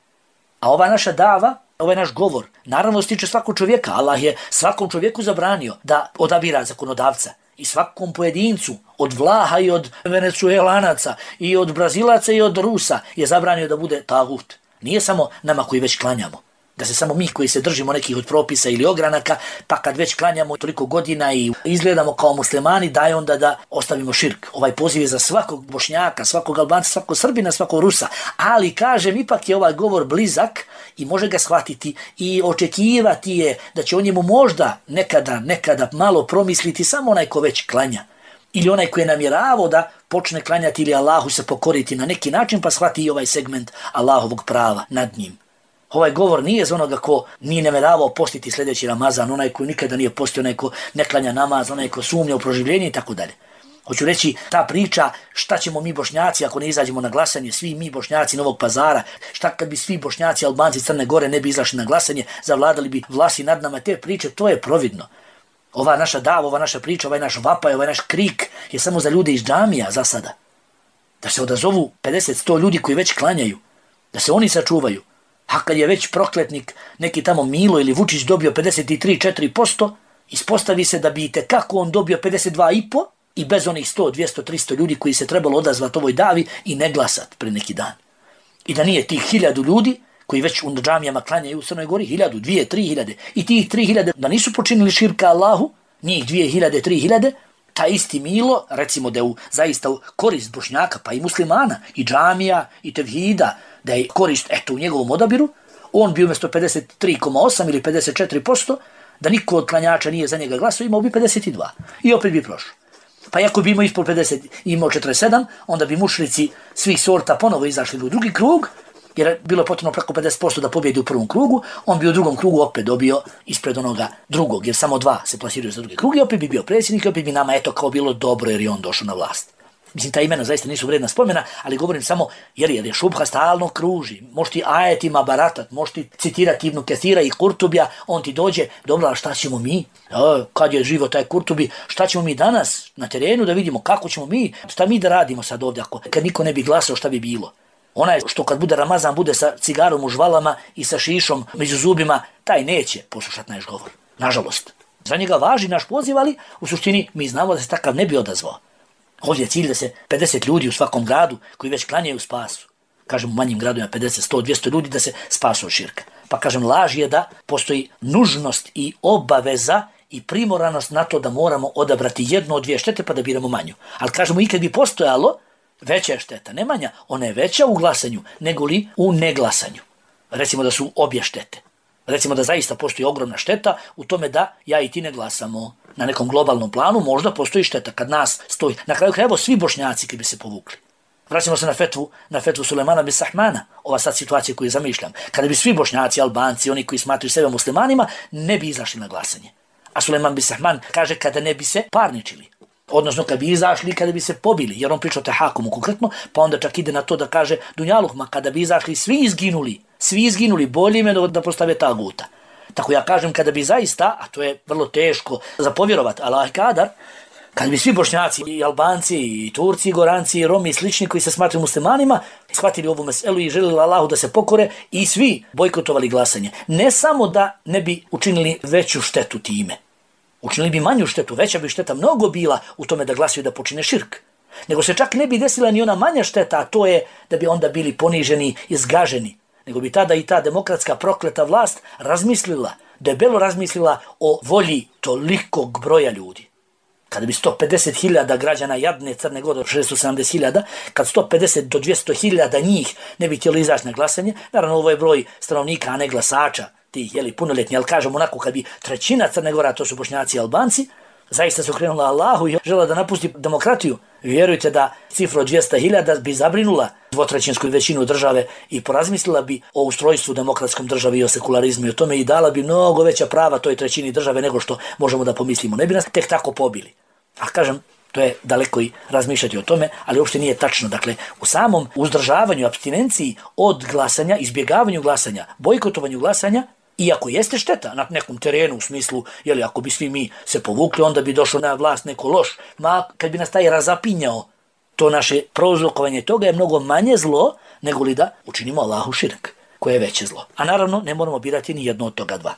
A ova naša dava, ovaj naš govor, naravno stiče svakog čovjeka. Allah je svakom čovjeku zabranio da odabira zakonodavca. I svakom pojedincu, od Vlaha i od Venecuelanaca, i od Brazilaca i od Rusa, je zabranio da bude tagut. Nije samo nama koji već klanjamo. Da se samo mi koji se držimo nekih od propisa ili ogranaka, pa kad već klanjamo toliko godina i izgledamo kao muslimani, daj onda da ostavimo širk. Ovaj poziv je za svakog Bošnjaka, svakog Albanca, svakog Srbina, svakog Rusa. Ali kažem, ipak je ovaj govor blizak i može ga shvatiti i očekivati je da će o njemu možda nekada malo promisliti samo onaj ko već klanja. Ili onaj koji je namjeravao da počne klanjati ili Allahu se pokoriti na neki način, pa shvati i ovaj segment Allahovog prava nad njim. Ovaj govor nije za onoga ko nije namjeravao postiti sljedeći Ramazan, onaj koji nikada nije postio, onaj ko ne klanja namaz, onaj ko sumnja u proživljenje i tako dalje. Hoću reći, ta priča šta ćemo mi Bošnjaci ako ne izađemo na glasanje, svi mi Bošnjaci Novog Pazara, šta kad bi svi Bošnjaci, Albanci, Crne Gore ne bi izašli na glasanje, zavladali bi vlasi nad nama, te priče, to je providno. Ova naša dava, ova naša priča, ovaj naš vapaj, ovaj naš krik je samo za ljude iz džamija za sada. Da se odazovu 50-100 ljudi koji već klanjaju, da se oni sačuvaju. A kad je već prokletnik, neki tamo Milo ili Vučić dobio 53-4%, ispostavi se da bi itekako on dobio 52,5% i bez onih 100, 200, 300 ljudi koji se trebalo odazvati ovoj davi i ne glasat pre neki dan. I da nije tih 1000 ljudi koji već u džamijama klanjaju u Crnoj Gori, 1000, 2, 3000, i tih 3000 da nisu počinili širka Allahu, njih 2000, 3000, ta isti Milo, recimo da je zaista u korist Bošnjaka, pa i muslimana, i džamija, i tevhida, da je korist u njegovom odabiru, on bi umjesto 53,8 ili 54%, da niko od klanjača nije za njega glasao, imao bi 52. I opet bi prošao. Pa ako bi imao ispod 50 i imao 47, onda bi mušrici svih sorta ponovo izašli u drugi krug, jer je bilo potrebno preko 50% da pobjedi u prvom krugu, on bi u drugom krugu opet dobio ispred onoga drugog, jer samo 2 se plasiraju za drugi krug i opet bi bio predsjednik i opet bi nama kao bilo dobro jer je on došao na vlast. Mislim, ta imena zaista nisu vredna spomena, ali govorim samo jer je šubha stalno kruži. Možeš ti ajetima baratat, možeš ti citirati Ibnu Kesira i Kurtubija, on ti dođe, dobro, a šta ćemo mi? Kad je živo taj Kurtubi, šta ćemo mi danas na terenu da vidimo kako ćemo mi, šta mi da radimo sad ovdje, kad niko ne bi glasao šta bi bilo? Onaj što kad bude Ramazan bude sa cigarom u žvalama i sa šišom među zubima, taj neće poslušati naš govor. Nažalost. Za njega važi naš poziv, ali u suštini mi znamo da se takav ne bi odazvao. Ovdje je cilj da se 50 ljudi u svakom gradu koji već klanjaju spasu. Kažem u manjim gradovima 50, 100, 200 ljudi da se spasu od širka. Pa kažem laž je da postoji nužnost i obaveza i primoranost na to da moramo odabrati jednu od dvije štete pa da biramo manju. Ali kažemo i kad bi postojalo, veća je šteta, ne manja, ona je veća u glasanju nego li u neglasanju. Recimo da su obje štete. Recimo da zaista postoji ogromna šteta u tome da ja i ti ne glasamo. Na nekom globalnom planu možda postoji šteta kad nas stoji. Na kraju krajeva svi Bošnjaci kad bi se povukli. Vraćamo se na fetvu Sulejmana bin Sahmana, ova sad situacija koju zamišljam. Kada bi svi Bošnjaci, Albanci, oni koji smatruju sebe muslimanima, ne bi izašli na glasanje. A Sulejman bin Sahman kaže kada ne bi se parničili. Odnosno kad bi izašli i kada bi se pobili, jer on priča o tehakumu konkretno, pa onda čak ide na to da kaže Dunjaluhma, kada bi izašli svi izginuli, bolje im je da postave taguta. Tako ja kažem kada bi zaista, a to je vrlo teško za povjerovat, Allah kadar, kada bi svi Bošnjaci i Albanci i Turci i Goranci i Romi i slični koji se smatruju muslimanima shvatili ovu meselu i želili Allahu da se pokore i svi bojkotovali glasanje. Ne samo da ne bi učinili veću štetu time, učinili bi manju štetu, veća bi šteta mnogo bila u tome da glasaju da počine širk. Nego se čak ne bi desila ni ona manja šteta, a to je da bi onda bili poniženi i zgaženi. Nego bi tada i ta demokratska prokleta vlast debelo razmislila o volji tolikog broja ljudi. Kada bi 150.000 građana jadne Crne Gore, 670.000, kad 150 do 200.000 njih ne bi htjeli izaći na glasanje, naravno ovo je broj stanovnika, a ne glasača, tih punoljetni, ali kažem onako kad bi trećina Crne Gora, to su Bošnjaci i Albanci, zaista se okrenula Allahu i žela da napusti demokratiju. Vjerujte da cifra od 200.000 bi zabrinula dvotrećinsku većinu države i porazmislila bi o ustrojstvu demokratskom državi i o sekularizmu i o tome i dala bi mnogo veća prava toj trećini države nego što možemo da pomislimo. Ne bi nas tek tako pobili. A kažem, to je daleko i razmišljati o tome, ali uopšte nije tačno. Dakle, u samom uzdržavanju, apstinenciji od glasanja, izbjegavanju glasanja, bojkotovanju glasanja, iako jeste šteta na nekom terenu u smislu, ako bi svi mi se povukli, onda bi došao na vlast neko loš, ma kad bi nas taj razapinjao, to naše prouzrokovanje toga je mnogo manje zlo nego li da učinimo Allahu širk, koje je veće zlo. A naravno ne moramo birati ni jedno od toga dva.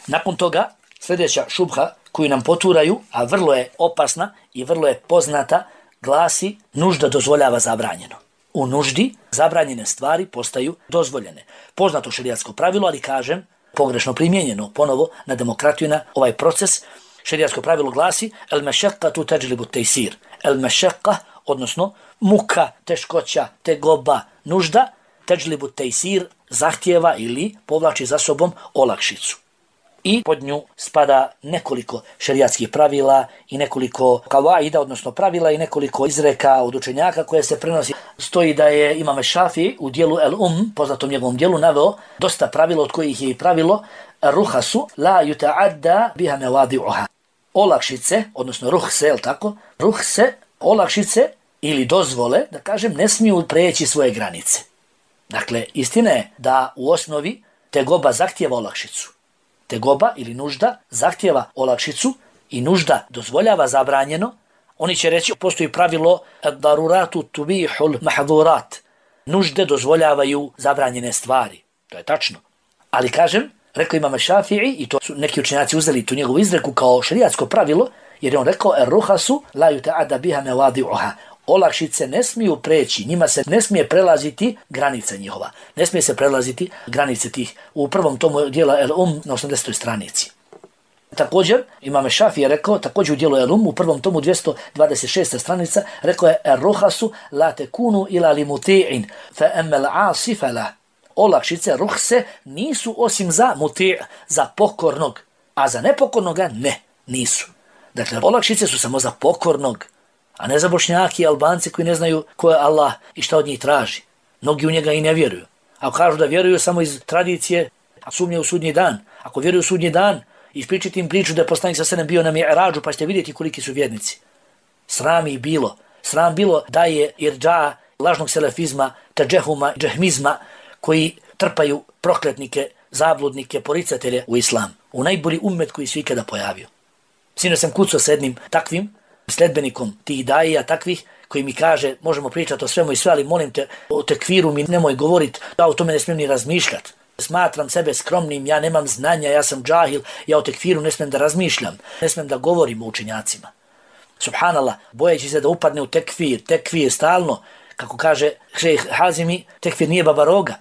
Nakon toga, sljedeća šubha koju nam poturaju, a vrlo je opasna i vrlo je poznata, glasi nužda dozvoljava zabranjeno. U nuždi zabranjene stvari postaju dozvoljene. Poznato šerijatsko pravilo, ali kažem, pogrešno primijenjeno ponovo na demokratiju na ovaj proces. Šerijatsko pravilo glasi el mešeqqatu tajlibu tejsir. El mešeqqa, odnosno muka, teškoća, tegoba, nužda, tajlibu tejsir zahtjeva ili povlači za sobom olakšicu. I pod nju spada nekoliko šerijatskih pravila i nekoliko kavaida, odnosno pravila i nekoliko izreka od učenjaka koje se prenosi. Stoji da je Imam Šafi u dijelu poznatom njegovom dijelu, naveo dosta pravila od kojih je i pravilo ruhasu la yuta'adda biha mawadi'uha. olakšice, odnosno ruhse, je li tako? Ruhse, olakšice ili dozvole, da kažem, ne smiju preći svoje granice. Dakle, istina je da u osnovi tegoba zahtijeva olakšicu. Tegoba ili nužda zahtijeva olakšicu i nužda dozvoljava zabranjeno. Oni će reći, postoji pravilo daruratu tubihul mahdurat. Nužde dozvoljavaju zabranjene stvari. To je tačno. Ali kažem, rekao imam Šafii, i to su neki učenjaci uzeli tu njegovu izreku kao šerijatsko pravilo, jer je on rekao ruhasu la yuta'adda biha mawadi'uha. Olakšice ne smiju preći, njima se ne smije prelaziti granica njihova. Ne smije se prelaziti granice tih. U prvom tomu dijela El na 80. stranici. Također, imam Šafii je rekao, također u dijelu El u prvom tomu 226. stranica, rekao je ruhasu la tekunu ila li muti'in, fa emmel asi fala. Olakšice, ruhse, nisu osim za muti', za pokornog, a za nepokornoga nisu. Dakle, olakšice su samo za pokornog, a ne za Bošnjaki i Albanci koji ne znaju ko je Allah i šta od njih traži. Mnogi u njega i ne vjeruju. Ako kažu da vjeruju samo iz tradicije, a sumnjaju u sudnji dan. Ako vjeruju u sudnji dan, ispričati im priču da je poslanik sa senem bio na Mi'rađu, pa ćete vidjeti koliki su vjernici. Sram ih bilo. Sram bilo da je irđa lažnog selefizma, tađehuma, džehmizma, koji trpaju prokletnike, zabludnike, poricatelje u islam. U najbolji ummet koji su ikada pojavio. Sino sam kucao s jednim takvim sledbenikom tih daija takvih koji mi kaže možemo pričati o svemu i sve, ali molim te o tekfiru mi nemoj govoriti, ja o tome ne smijem ni razmišljati. Smatram sebe skromnim, ja nemam znanja, ja sam džahil, ja o tekfiru ne smijem da razmišljam, ne smijem da govorim o učenjacima. Subhanallah, bojeći se da upadne u tekfir stalno, kako kaže šejh Hazimi, tekfir nije baba roga,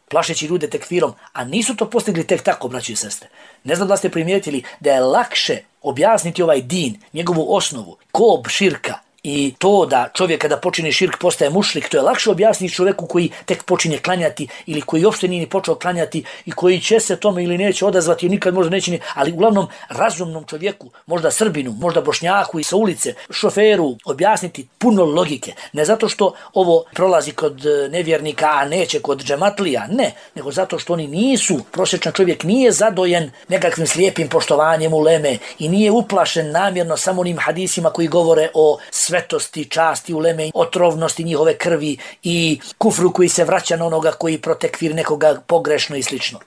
plašeći ljude tekfirom, a nisu to postigli tek tako, braći i sestre. Ne znam da ste primijetili da je lakše objasniti ovaj din, njegovu osnovu, kob širka i to da čovjek kada počine širk postaje mušrik, to je lakše objasniti čovjeku koji tek počinje klanjati ili koji uopšte nije ni počeo klanjati i koji će se tome ili neće odazvati i nikad možda neće ni, ali uglavnom razumnom čovjeku, možda Srbinu, možda Bošnjaku i sa ulice, šoferu, objasniti puno logike. Ne zato što ovo prolazi kod nevjernika, a neće kod džematlija, ne, nego zato što oni nisu, prosječan čovjek nije zadojen nekakvim slijepim poštovanjem uleme i nije uplašen namjerno samo onim hadisima koji govore o svetosti, časti uleme, otrovnosti njihove krvi i kufru koji se vraća na onoga koji protekvir nekoga pogrešno i slično.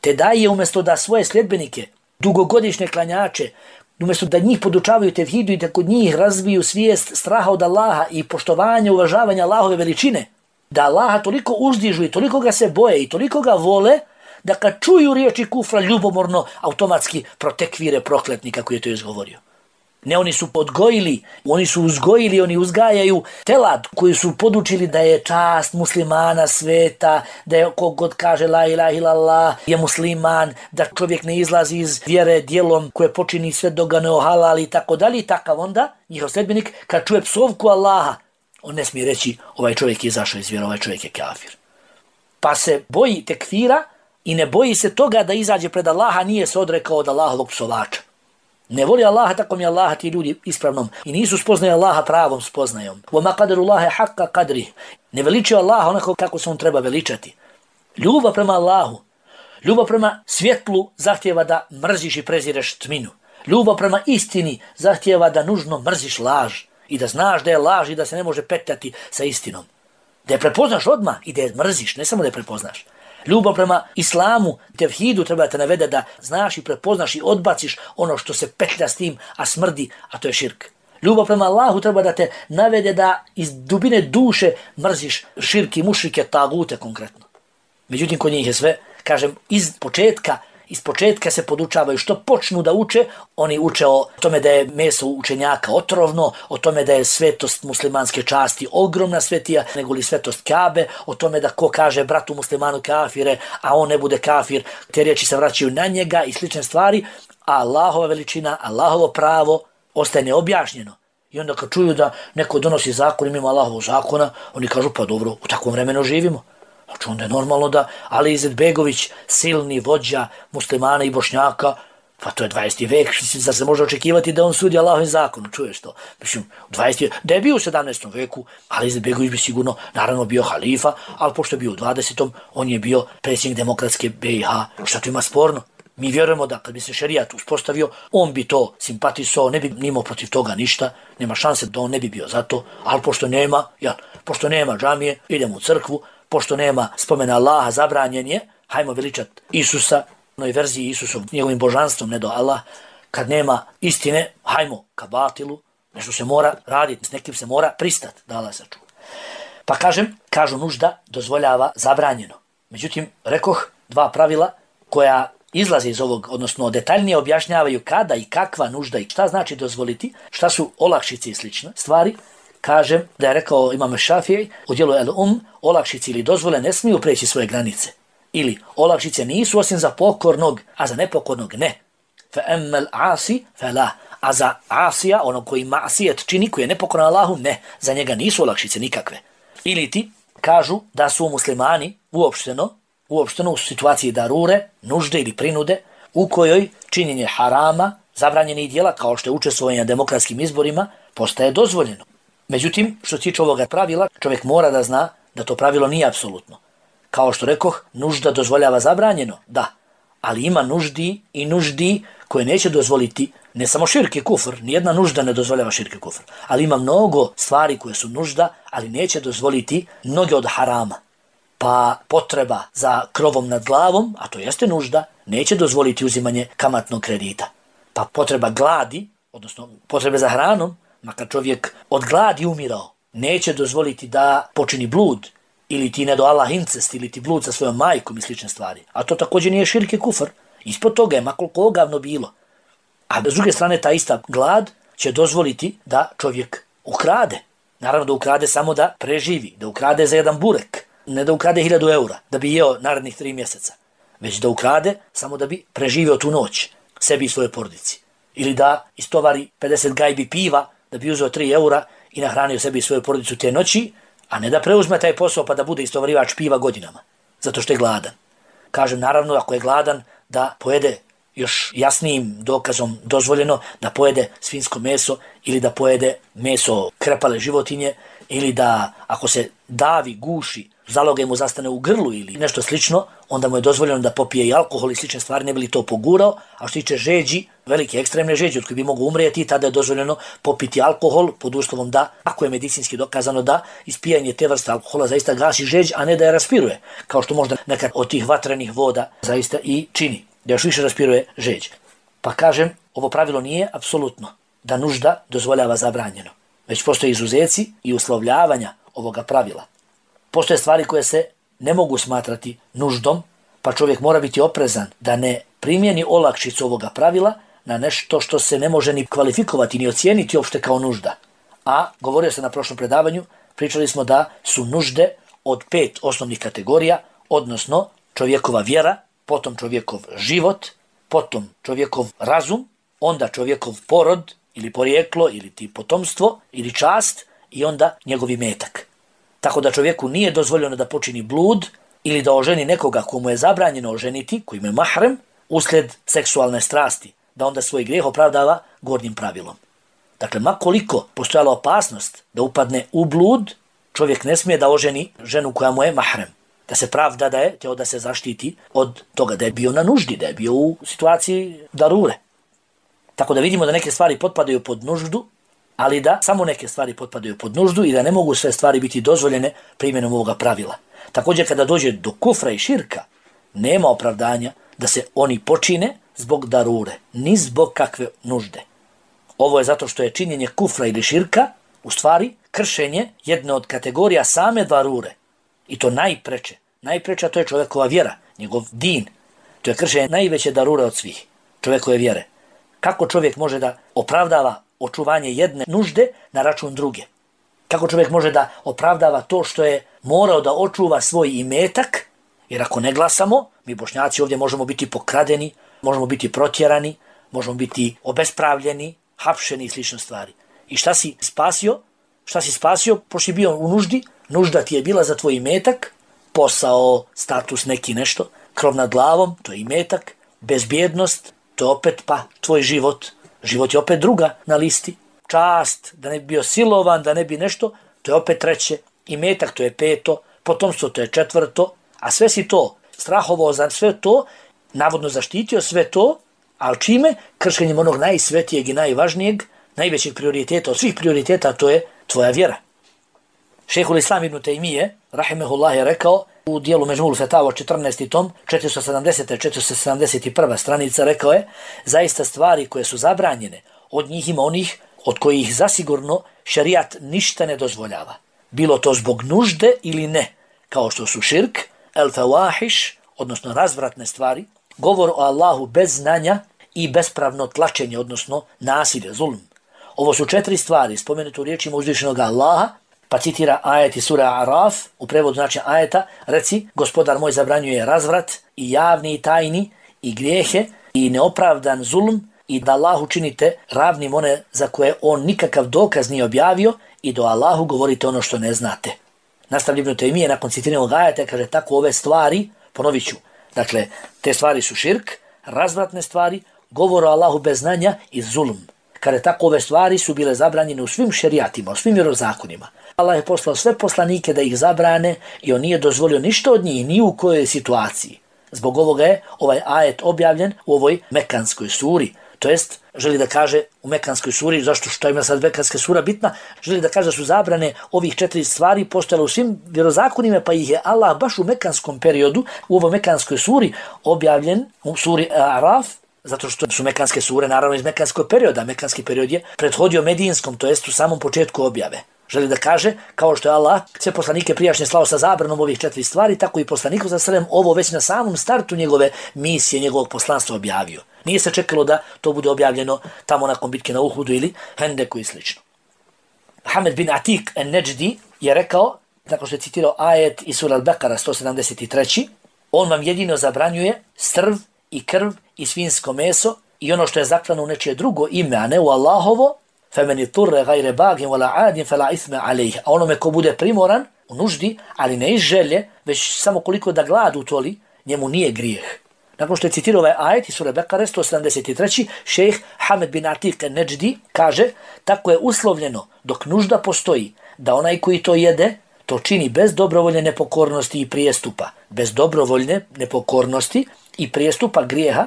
Te daje umjesto da svoje sljedbenike, dugogodišnje klanjače, umjesto da njih podučavaju tevhidu i da kod njih razviju svijest straha od Allaha i poštovanja, uvažavanja Allahove veličine, da Allaha toliko uzdižu i toliko ga se boje i toliko ga vole, da kad čuju riječi kufra ljubomorno automatski protekvire prokletnika koji je to izgovorio. Ne, oni su podgojili, oni su uzgojili, oni uzgajaju telad koji su podučili da je čast muslimana sveta, da je kogod kaže la ilaha illallah je musliman, da čovjek ne izlazi iz vjere djelom koje počini sve dok ga ne ohalali i tako dalje. Takav onda, njihov sledbenik, kad čuje psovku Allaha, on ne smije reći ovaj čovjek je izašao iz vjere, ovaj čovjek je kafir. Pa se boji tekfira i ne boji se toga da izađe pred Allaha, nije se odrekao od Allahovog psovača. Ne voli Allaha tako mi Allaha ti ljudi ispravnom i nisu spoznaju Allaha pravom spoznajom. وَمَا قَدَرُ اللَّهَ حَقَّ قَدْرِهِ. Ne veličaju Allaha onako kako se on treba veličati. Ljubav prema Allahu, ljubav prema svjetlu zahtijeva da mrziš i prezireš tminu. Ljubav prema istini zahtijeva da nužno mrziš laž i da znaš da je laž i da se ne može petljati sa istinom. Da je prepoznaš odmah i da je mrziš, ne samo da je prepoznaš. Ljubav prema islamu, tevhidu treba da te navede da znaš i prepoznaš i odbaciš ono što se petlja s tim, a smrdi, a to je širk. Ljubav prema Allahu treba da te navede da iz dubine duše mrziš širk i mušrike, tagute konkretno. Međutim, kod njih je sve, kažem, iz početka se podučavaju što počnu da uče, oni uče o tome da je meso učenjaka otrovno, o tome da je svetost muslimanske časti ogromna svetija, nego li svetost Kabe, o tome da ko kaže bratu muslimanu kafire, a on ne bude kafir, te riječi se vraćaju na njega i slične stvari, a Allahova veličina, Allahovo pravo ostaje neobjašnjeno. I onda kad čuju da neko donosi zakon mimo Allahovog zakona, oni kažu pa dobro, u takvom vremenu živimo. Znači onda je normalno da Ali Izetbegović, silni vođa muslimana i Bošnjaka, pa to je 20. vek, da se može očekivati da on sudi Allahovim zakonom, čuješ to? Mislim, da je bio u 17. veku, Ali Izetbegović bi sigurno, naravno, bio halifa, ali pošto je bio u 20. on je bio predsjednik demokratske BiH. Šta tu ima sporno? Mi vjerujemo da kad bi se šerijat uspostavio, on bi to simpatisao, ne bi nimao protiv toga ništa, nema šanse da on ne bi bio za to, ali pošto nema džamije, idemo u crkvu, pošto nema spomena Allaha, zabranjen je, hajmo veličat Isusa, onoj verziji Isusov, njegovim božanstvom, ne do Allah, kad nema istine, hajmo ka batilu, nešto se mora raditi, s nekim se mora pristati, da Allah sačuva. Pa kažu nužda dozvoljava zabranjeno. Međutim, rekoh dva pravila koja izlaze iz ovog, odnosno detaljnije objašnjavaju kada i kakva nužda i šta znači dozvoliti, šta su olakšice i slične stvari. Kažem da je rekao Imam Šafij u djelu olakšice ili dozvole ne smiju preći svoje granice. Ili olakšice nisu osim za pokornog, a za nepokornog ne. Fa emmel asi fela. A za asija, ono koji masijet čini, koji je nepokoran Allahu, ne. Za njega nisu olakšice nikakve. Ili ti kažu da su muslimani uopšteno u situaciji darure, nužde ili prinude, u kojoj činjenje harama, zabranjenih djela, kao što je učestvovanje na demokratskim izborima, postaje dozvoljeno. Međutim, što se tiče ovoga pravila, čovjek mora da zna da to pravilo nije apsolutno. Kao što rekoh, nužda dozvoljava zabranjeno, da, ali ima nuždi koje neće dozvoliti ne samo širk i kufr, nijedna nužda ne dozvoljava širk i kufr, ali ima mnogo stvari koje su nužda, ali neće dozvoliti mnoge od harama. Pa potreba za krovom nad glavom, a to jeste nužda, neće dozvoliti uzimanje kamatnog kredita. Pa potreba gladi, odnosno potrebe za hranom, makar čovjek od gladi umirao, neće dozvoliti da počini blud, ili ti ne do Allah incest, ili ti blud sa svojom majkom i slične stvari. A to također nije širk i kufr. Ispod toga je makoliko ogavno bilo. A s druge strane ta ista glad će dozvoliti da čovjek ukrade. Naravno da ukrade samo da preživi, da ukrade za jedan burek, ne da ukrade 1000 eura da bi jeo narednih 3 mjeseca, već da ukrade samo da bi preživio tu noć, sebi i svojoj porodici. Ili da istovari 50 gajbi piva da bi uzeo 3 eura i nahranio sebi i svoju porodicu te noći, a ne da preuzme taj posao pa da bude istovarivač piva godinama, zato što je gladan. Kažem, naravno, ako je gladan, da pojede još jasnijim dokazom dozvoljeno da pojede svinjsko meso ili da pojede meso krepale životinje ili da ako se davi, guši, zaloga mu zastane u grlu ili nešto slično, onda mu je dozvoljeno da popije i alkohol i slične stvari, ne bi li to pogurao. A što tiče žeđi, velike ekstremne žeđi od koje bi mogu umrijeti, tada je dozvoljeno popiti alkohol pod uslovom da, ako je medicinski dokazano da ispijanje te vrste alkohola zaista gasi žeđ, a ne da je raspiruje, kao što možda nekad od tih vatrenih voda zaista i čini, da još više raspiruje žeđ. Pa kažem, ovo pravilo nije apsolutno da nužda dozvoljava zabranjeno, već postoje izuzeci i uslovljavanja ovoga pravila. Postoje stvari koje se ne mogu smatrati nuždom, pa čovjek mora biti oprezan da ne primjeni olakšicu ovoga pravila na nešto što se ne može ni kvalifikovati, ni ocijeniti uopšte kao nužda. A govorio se na prošlom predavanju, pričali smo da su nužde od 5 osnovnih kategorija, odnosno čovjekova vjera, potom čovjekov život, potom čovjekov razum, onda čovjekov porod ili porijeklo ili ti potomstvo ili čast i onda njegov imetak. Tako da čovjeku nije dozvoljeno da počini blud ili da oženi nekoga komu je zabranjeno oženiti, koji je mahrem, uslijed seksualne strasti, da onda svoj grijeh opravdava gornjim pravilom. Dakle, makoliko postojala opasnost da upadne u blud, čovjek ne smije da oženi ženu koja mu je mahrem, da se pravda da je teo da se zaštiti od toga da je bio na nuždi, da je bio u situaciji darure. Tako da vidimo da neke stvari potpadaju pod nuždu, ali da samo neke stvari potpadaju pod nuždu i da ne mogu sve stvari biti dozvoljene primjenom ovoga pravila. Također kada dođe do kufra i širka, nema opravdanja da se oni počine zbog darure, ni zbog kakve nužde. Ovo je zato što je činjenje kufra ili širka u stvari kršenje jedne od kategorija same darure. I to najpreče. Najpreča to je čovjekova vjera, njegov din. To je kršenje najveće darure od svih, čovjekove vjere. Kako čovjek može da opravdava očuvanje jedne nužde na račun druge? Kako čovjek može da opravdava to što je morao da očuva svoj imetak? Jer ako ne glasamo, mi Bošnjaci ovdje možemo biti pokradeni, možemo biti protjerani, možemo biti obespravljeni, hapšeni i slične stvari. I šta si spasio? Šta si spasio? Pošto si bio u nuždi, nužda ti je bila za tvoj imetak, posao, status, neki nešto, krov nad glavom, to je imetak, bezbjednost, to je opet pa tvoj život. Život je opet druga na listi. Čast, da ne bi bio silovan, da ne bi nešto, to je opet treće. Imetak, to je 5, potomstvo, to je 4, a sve si to strahovao za sve to, navodno zaštitio sve to, ali čime? Kršenjem onog najsvetijeg i najvažnijeg, najvećeg prioriteta, od svih prioriteta, to je tvoja vjera. Šejhul Islam ibn Tejmije, rahimehullah, je rekao u dijelu Međmul Fetava 14. tom, 470. 471. stranica, rekao je, zaista stvari koje su zabranjene, od njih ima onih od kojih zasigurno šerijat ništa ne dozvoljava. Bilo to zbog nužde ili ne, kao što su širk, el fawahiš, odnosno razvratne stvari, govor o Allahu bez znanja i bespravno tlačenje, odnosno nasilje, zulm. Ovo su 4 stvari spomenute u riječima uzvišenog Allaha, pa citira ajet iz sura Araf, u prevodu znači ajeta, reci, gospodar moj zabranjuje razvrat i javni i tajni i grijehe i neopravdan zulm i da Allahu činite ravnim one za koje on nikakav dokaz nije objavio i do Allahu govorite ono što ne znate. Nastavlja Ibn Tejmije nakon citiranog ajeta kaže tako ove stvari, ponovit ću, dakle te stvari su širk, razvratne stvari, govor o Allahu bez znanja i zulm. Kada tako ove stvari su bile zabranjene u svim šerijatima, u svim vjerozakonima. Allah je poslao sve poslanike da ih zabrane i on nije dozvolio ništa od njih, ni u kojoj situaciji. Zbog ovoga je ovaj ajet objavljen u ovoj Mekanskoj suri. To jest, želi da kaže u Mekanskoj suri, zašto što ima sad Mekanska sura bitna, želi da kaže da su zabrane ovih 4 stvari postojale u svim vjerozakonima, pa ih je Allah baš u Mekanskom periodu, u ovoj Mekanskoj suri objavljen u suri Araf, zato što su Mekanske sure naravno iz Mekanskog perioda. Mekanski period je prethodio Medinskom, to jest u samom početku objave. Želi da kaže, kao što je Allah sve poslanike prijašnje slao sa zabranom ovih 4 stvari, tako i poslaniku za sallam ovo već na samom startu njegove misije, njegovog poslanstva objavio. Nije se čekalo da to bude objavljeno tamo nakon bitke na Uhudu ili Hendeku i slično. Hamed bin Atik en-Neđdi je rekao, tako što je citirao ajet iz sura Al-Bekara 173. On vam jedino zabranjuje strv i krv i svinjsko meso i ono što je zaklano u nečije drugo ime, a ne u Allahovo, فَمَنِ طُرَّ غَيْرَ بَاغٍ وَلَا عَادٍ فَلَا إِثْمَ عَلَيْهِ. A onome ko bude primoran u nuždi, ali ne iz želje, već samo koliko da glad utoli, njemu nije grijeh. Nakon što je citirao ovaj ajet iz sure Bekare 173. šejh Hamed bin Atik en-Neđdi kaže, tako je uslovljeno dok nužda postoji da onaj koji to jede, to čini bez dobrovoljne nepokornosti i prijestupa. Bez dobrovoljne nepokornosti i prijestupa grijeha,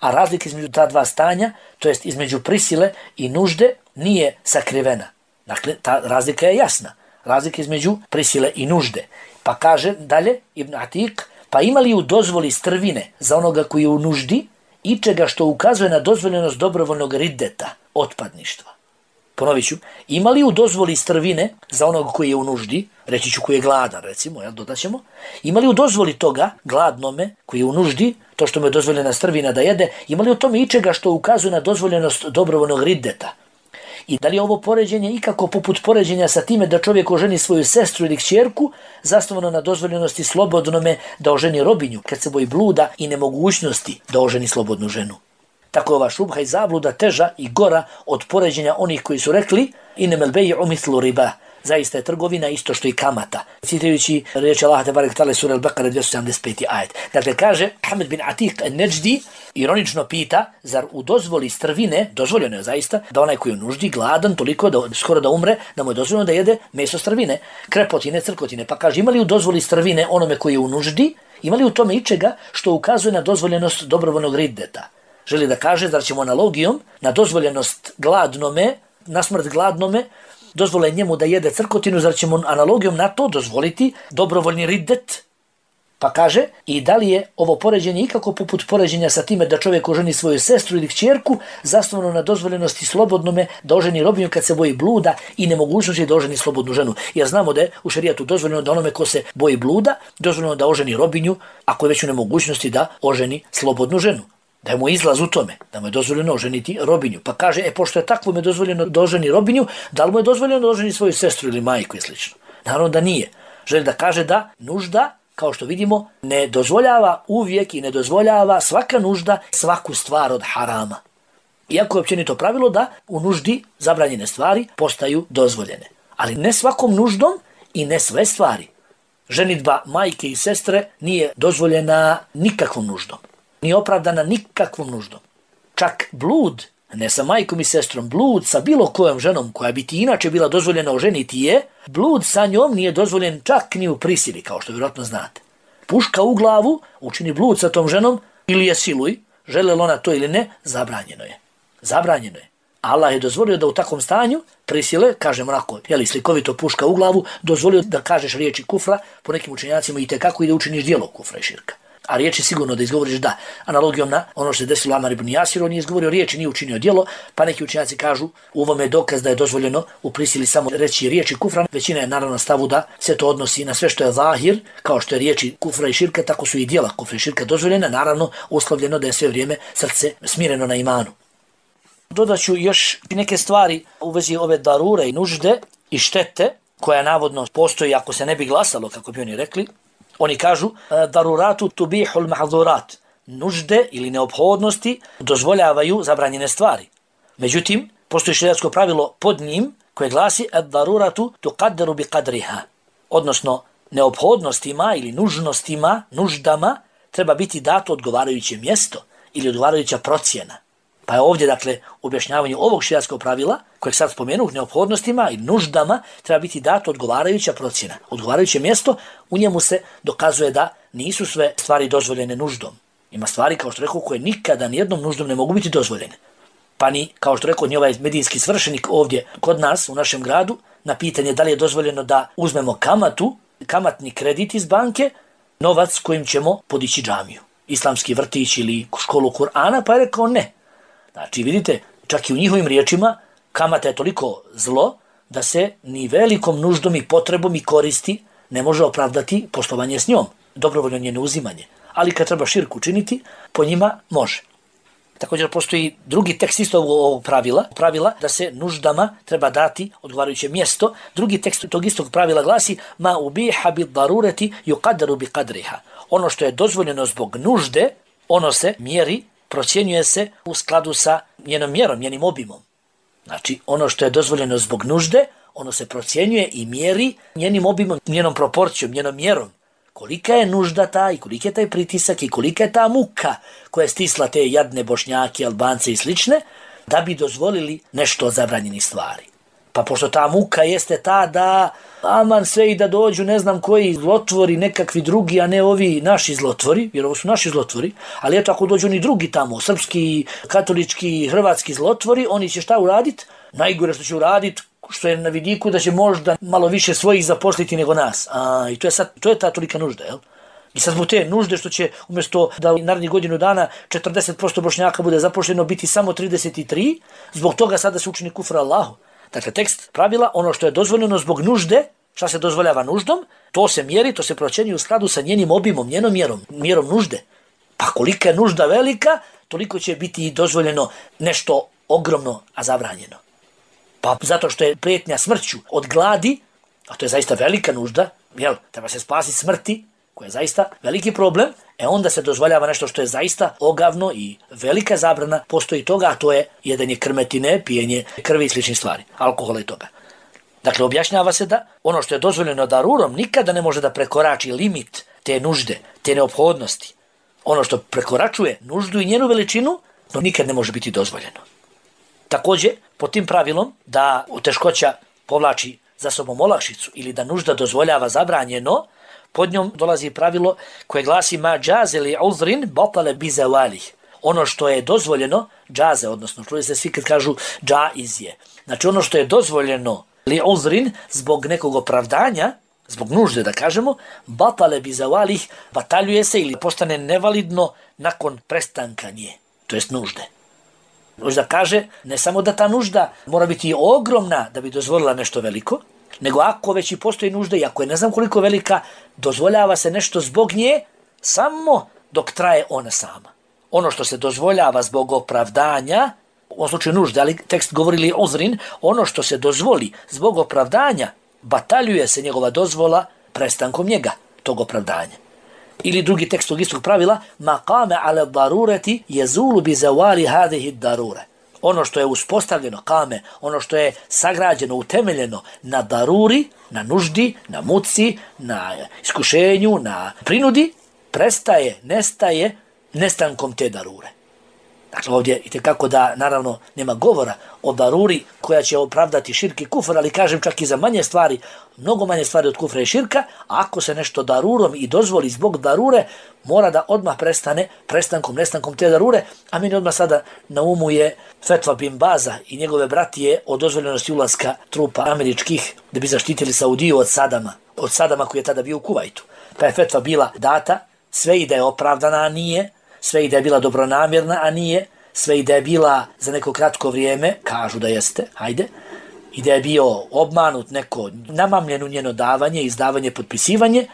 a razlika između ta dva stanja, to jest između prisile i nužde, nije sakrivena. Dakle, ta razlika je jasna. Razlika između prisile i nužde. Pa kaže dalje Ibn Atik, pa ima li u dozvoli strvine za onoga koji je u nuždi i čega što ukazuje na dozvoljenost dobrovoljnog riddeta, otpadništva. Ponovit ću, ima li u dozvoli strvine za onoga koji je u nuždi, reći ću koji je gladan recimo, dodat ćemo, ima li u dozvoli toga gladnome koji je u nuždi, to što mu je dozvoljena strvina da jede, ima li u tome ičega što ukazuje na dozvoljenost dobrovoljnog riddeta? I da li je ovo poređenje ikako poput poređenja sa time da čovjek oženi svoju sestru ili kćerku, zasnovano na dozvoljenosti slobodnome da oženi robinju, kad se boji bluda i nemogućnosti da oženi slobodnu ženu? Tako je ova šubha i zabluda teža i gora od poređenja onih koji su rekli inemel bej'u mithlu riba. Zaista je trgovina isto što i kamata. Citajući riječi Allaha tebarek ta'ala sura Al-Bekara 275. ajet. Dakle, kaže Hamed bin Atik en-Neđdi, ironično pita, zar u dozvoli strvine, dozvoljeno je zaista, da onaj koji je u nuždi, gladan, toliko da skoro da umre, da mu je dozvoljeno da jede meso strvine, krepotine, crkotine. Pa kaže, ima li u dozvoli strvine onome koji je u nuždi, ima li u tome ičega što ukazuje na dozvoljenost dobrovoljnog riddeta? Želi da kaže, zar ćemo analogijom na dozvoljenost gladnome, na smrt gladnome, dozvole njemu da jede crkotinu, zar ćemo analogijom na to dozvoliti dobrovoljni riddet? Pa kaže, i da li je ovo poređenje ikako poput poređenja sa time da čovjek oženi svoju sestru ili kćerku, zasnovano na dozvoljenosti slobodnome da oženi robinju kad se boji bluda i nemogućnosti da oženi slobodnu ženu. Jer znamo da je u šerijatu dozvoljeno da onome ko se boji bluda, dozvoljeno da oženi robinju, ako je već u nemogućnosti da oženi slobodnu ženu. Da je mu izlaz u tome, da mu je dozvoljeno oženiti robinju. Pa kaže, pošto je takvo mu je dozvoljeno da oženi robinju, da li mu je dozvoljeno da oženi svoju sestru ili majku i slično? Naravno da nije. Želi da kaže da nužda, kao što vidimo, ne dozvoljava uvijek i ne dozvoljava svaka nužda svaku stvar od harama. Iako je općenito pravilo da u nuždi zabranjene stvari postaju dozvoljene. Ali ne svakom nuždom i ne sve stvari. Ženidba majke i sestre nije dozvoljena nikakvom nuždom. Nije opravdana nikakvom nuždom. Čak blud, ne sa majkom i sestrom, blud sa bilo kojom ženom koja bi ti inače bila dozvoljena oženiti je, blud sa njom nije dozvoljen čak ni u prisili, kao što vjerojatno znate. Puška u glavu učini blud sa tom ženom, ili je siluj, želela ona to ili ne, zabranjeno je. Zabranjeno je. Allah je dozvolio da u takvom stanju prisile, kažem onako, slikovito puška u glavu, dozvolio da kažeš riječi kufra, po nekim učenjacima i tekako i da učiniš djelo kufra i širka. A riječi sigurno da izgovoriš da. Analogijom na ono što se desilo Amar ibn Jasir, on nije izgovorio riječi, nije učinio djelo, pa neki učenjaci kažu u ovome je dokaz da je dozvoljeno u prisili samo reći riječi kufra. Većina je naravno stavu da se to odnosi na sve što je zahir, kao što je riječi kufra i širka, tako su i djela kufra i širka dozvoljena, naravno uslovljeno da je sve vrijeme srce smireno na imanu. Dodat ću još neke stvari u vezi ove darure i nužde i štete koja navodno postoji ako se ne bi glasalo, kako bi oni rekli. Oni kažu daruratu tubihul mahzurat. Nužde ili neophodnosti dozvoljavaju zabranjene stvari. Međutim, postoji šerijatsko pravilo pod njim koje glasi daruratu tuqaddaru bi qadriha. Odnosno, neophodnostima ili nužnostima, nuždama treba biti dato odgovarajuće mjesto ili odgovarajuća procjena. Pa je ovdje, dakle, u objašnjavanju ovog šerijatskog pravila, kojeg sad spomenuh, neophodnostima i nuždama, treba biti dato odgovarajuća procjena. Odgovarajuće mjesto, u njemu se dokazuje da nisu sve stvari dozvoljene nuždom. Ima stvari, kao što rekao, koje nikada nijednom nuždom ne mogu biti dozvoljene. Pa ni, kao što rekao, ni ovaj medijski svršenik ovdje kod nas, u našem gradu, na pitanje da li je dozvoljeno da uzmemo kamatni kredit iz banke, novac kojim ćemo podići džamiju, islamski vrtić ili školu Kur'ana, pa je rekao ne. Znači, vidite, čak i u njihovim riječima kamata je toliko zlo da se ni velikom nuždom i potrebom i koristi ne može opravdati poslovanje s njom, dobrovoljno njeno uzimanje. Ali kad treba širku učiniti, po njima može. Također postoji drugi tekst isto ovog pravila da se nuždama treba dati odgovarajuće mjesto. Drugi tekst tog istog pravila glasi ma ubiha bi darureti yuqaddaru bi qadriha. Ono što je dozvoljeno zbog nužde, ono se mjeri, procjenjuje se u skladu sa njenom mjerom, njenim obimom. Znači, ono što je dozvoljeno zbog nužde, ono se procjenjuje i mjeri njenim obimom, njenom proporcijom, njenom mjerom. Kolika je nužda ta i koliki je taj pritisak i kolika je ta muka koja je stisla te jadne Bošnjake, Albance i slične, da bi dozvolili nešto od zabranjenih stvari. Pa pošto ta muka jeste ta da aman sve i da dođu ne znam koji zlotvori, nekakvi drugi, a ne ovi naši zlotvori, jer ovo su naši zlotvori, ali eto ako dođu oni drugi tamo, srpski, katolički, hrvatski zlotvori, oni će šta uraditi? Najgore što će uraditi, što je na vidiku da će možda malo više svojih zaposliti nego nas. I to je ta tolika nužda, jel? I sad zbog te nužde što će umjesto da narednih godinu dana 40% Bošnjaka bude zaposleno biti samo 33, zbog toga sada se učini kufra Allahu. Dakle, tekst pravila, ono što je dozvoljeno zbog nužde, šta se dozvoljava nuždom, to se mjeri, to se procjenjuje u skladu sa njenim obimom, njenom mjerom nužde. Pa kolika je nužda velika, toliko će biti dozvoljeno nešto ogromno, a zabranjeno. Pa zato što je prijetnja smrću od gladi, a to je zaista velika nužda, jel, treba se spasiti smrti, koja je zaista veliki problem, onda se dozvoljava nešto što je zaista ogavno i velika zabrana postoji toga, a to je jedanje krmetine, pijenje krvi i sličnih stvari, alkohola i toga. Dakle, objašnjava se da ono što je dozvoljeno darurom nikada ne može da prekorači limit te nužde, te neophodnosti. Ono što prekoračuje nuždu i njenu veličinu, to nikad ne može biti dozvoljeno. Također, po tim pravilom da teškoća povlači za sobom olakšicu ili da nužda dozvoljava zabranjeno, pod njom dolazi pravilo koje glasi ma džaze li uzrin batale bi zawalih. Ono što je dozvoljeno, džaze, odnosno čuli se svi kad kažu džaiz je. Znači ono što je dozvoljeno li uzrin zbog nekog opravdanja, zbog nužde da kažemo, batale bi zawalih, bataljuje se ili postane nevalidno nakon prestanka nje, to jest nužde. Možda kaže, ne samo da ta nužda mora biti ogromna da bi dozvolila nešto veliko, nego ako već i postoji nužda i ako je ne znam koliko velika, dozvoljava se nešto zbog nje samo dok traje ona sama. Ono što se dozvoljava zbog opravdanja, u ovom slučaju nužde, ali tekst govori li uzrin, ono što se dozvoli zbog opravdanja, bataljuje se njegova dozvola prestankom njega, tog opravdanja. Ili drugi tekst tog istog pravila, maqame ala darurati yazulu bi zawali hadhihi darure. Ono što je uspostavljeno, kame, ono što je sagrađeno, utemeljeno na daruri, na nuždi, na muci, na iskušenju, na prinudi, nestaje nestankom te darure. Dakle, ovdje itekako da, naravno, nema govora o daruri koja će opravdati širk i kufr, ali kažem čak i za manje stvari, mnogo manje stvari od kufra i širka, a ako se nešto darurom i dozvoli zbog darure, mora da odmah prestane nestankom te darure, a meni odmah sada na umu je fetva bin Baza i njegove bratije o dozvoljenosti ulaska trupa američkih da bi zaštitili Saudiju od Sadama koji je tada bio u Kuvajtu. Pa je fetva bila data, sve i da je opravdana, a nije, sve i da je bila dobronamjerna, a nije, sve i da je bila za neko kratko vrijeme, kažu da jeste, hajde, i da je bio obmanut neko namamljeno njeno davanje, izdavanje, potpisivanje,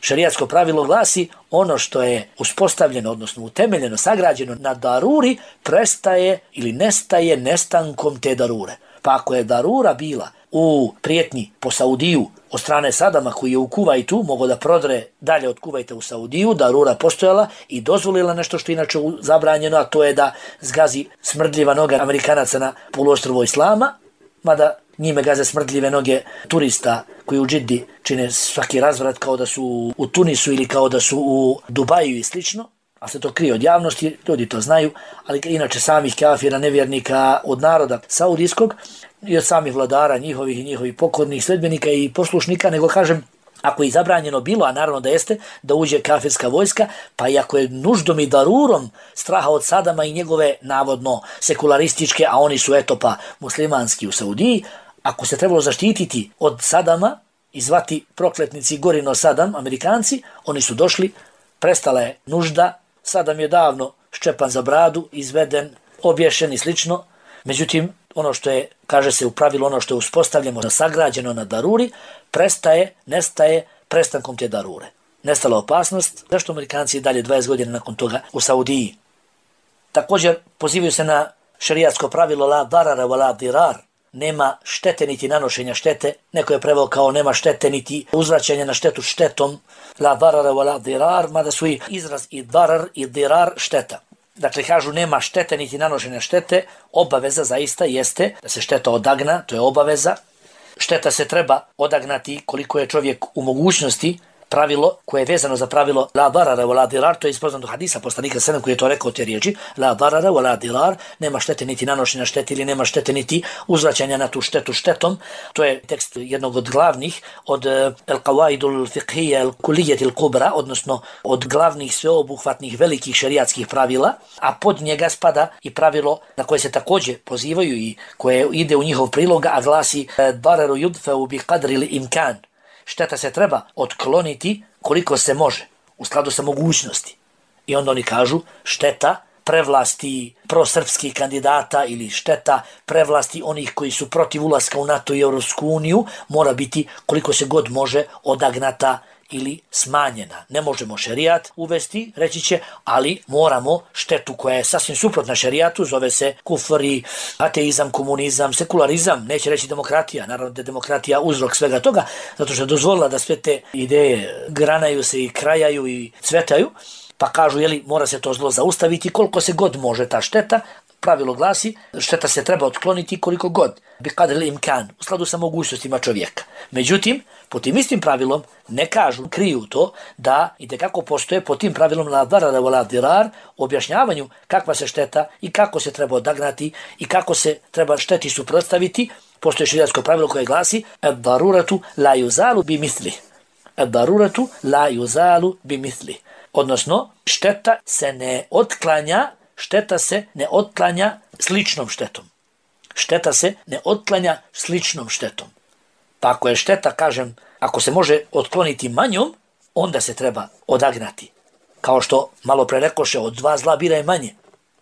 šerijatsko pravilo glasi ono što je uspostavljeno, odnosno utemeljeno, sagrađeno na daruri, prestaje ili nestaje nestankom te darure. Pa ako je darura bila u prijetnji po Saudiju od strane Sadama koji je u Kuvajtu mogao da prodre dalje od Kuvajta u Saudiju, darura postojala i dozvolila nešto što je inače zabranjeno, a to je da zgazi smrdljiva noga Amerikanaca na poluostrvu Islama, mada njime gaze smrdljive noge turista koji u Džiddi čine svaki razvrat kao da su u Tunisu ili kao da su u Dubaju i slično, a se to krije od javnosti, ljudi to znaju, ali inače samih kafira, nevjernika, od naroda saudijskog i od samih vladara njihovih i njihovih pokornih sledbenika i poslušnika, nego kažem, ako je zabranjeno bilo, a naravno da jeste, da uđe kafirska vojska, pa i ako je nuždom i darurom straha od Sadama i njegove navodno sekularističke, a oni su eto pa muslimanski u Saudiji, ako se trebalo zaštititi od Sadama i zvati prokletnici Gorino Sadam, Amerikanci, oni su došli, prestala je nužda, Sadam je davno ščepan za bradu, izveden, obješen i slično. Međutim, ono što je, kaže se u pravilu, ono što je uspostavljeno, sagrađeno na daruri, nestaje prestankom te darure. Nestala opasnost, zašto Amerikanci dalje 20 godina nakon toga u Saudiji. Također pozivaju se na šerijatsko pravilo la darara wa la dirar, nema štete niti nanošenja štete, neko je preveo kao nema štete niti uzvraćanja na štetu štetom, la darara wa la dirar, mada su i izraz i darar i dirar šteta. Dakle, kažu nema štete niti nanošenja štete, obaveza zaista jeste da se šteta odagna, to je obaveza. Šteta se treba odagnati koliko je čovjek u mogućnosti, pravilo koje je vezano za pravilo la darara wa la dirar, to je iz poznatog hadisa poslanika sallallahu koji je to rekao te riječi, la darara wa la dirar, nema štete niti nanošenja štete ili nema štete niti uzvraćanja na tu štetu štetom. To je tekst jednog od glavnih, od al-qawaidul fiqhiyya al-kulliyya al-kubra, odnosno od glavnih sveobuhvatnih velikih šerijatskih pravila, a pod njega spada i pravilo na koje se također pozivaju i koje ide u njihov prilog, a glasi dararu yudfa'u bi qadri al-imkan. Šteta se treba otkloniti koliko se može, u skladu sa mogućnosti. I onda oni kažu šteta prevlasti prosrpskih kandidata ili šteta prevlasti onih koji su protiv ulaska u NATO i Europsku uniju mora biti koliko se god može odagnata ili smanjena. Ne možemo šerijat uvesti, reći će, ali moramo štetu koja je sasvim suprotna šerijatu, zove se kufr i ateizam, komunizam, sekularizam, neće reći demokratija, naravno da je demokratija uzrok svega toga, zato što je dozvolila da sve te ideje granaju se i krajaju i cvetaju, pa kažu, jeli, mora se to zlo zaustaviti koliko se god može ta šteta. Pravilo glasi, šteta se treba otkloniti koliko god, bi qadri imkan, u skladu sa mogućnostima čovjeka. Međutim, po tim istim pravilom ne kažu, kriju to da itekako postoje po tim pravilom la darara wa la dirar, objašnjavanju kakva se šteta i kako se treba odagnati i kako se treba šteti suprotstaviti. Postoje šerijatsko pravilo koje glasi ad-daruratu la yuzalu bi mithli. Ad-daruratu la yuzalu bi mithli. Odnosno, šteta se ne otklanja sličnom štetom. Šteta se ne otklanja sličnom štetom. Pa ako je šteta, kažem, ako se može otkloniti manjom, onda se treba odagnati. Kao što malo pre rekoše, od dva zla bira je manje.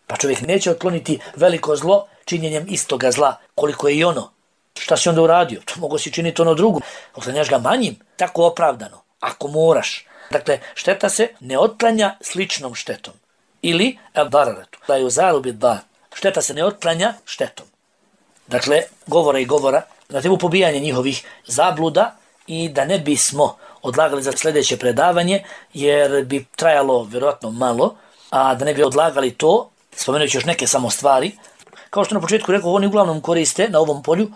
Pa čovjek neće otkloniti veliko zlo činjenjem istoga zla, koliko je i ono. Šta si onda uradio? To mogo si činiti ono drugo. Otklanjaš ga manjim, tako opravdano, ako moraš. Dakle, šteta se ne otklanja sličnom štetom. Ili ad-dararatu la yuzalu bid-dar. Šteta se ne otklanja štetom. Dakle, govora na temu pobijanja njihovih zabluda i da ne bismo odlagali za sljedeće predavanje, jer bi trajalo vjerojatno malo, a da ne bi odlagali to, spomenući još neke samo stvari. Kao što na početku rekao, oni uglavnom koriste na u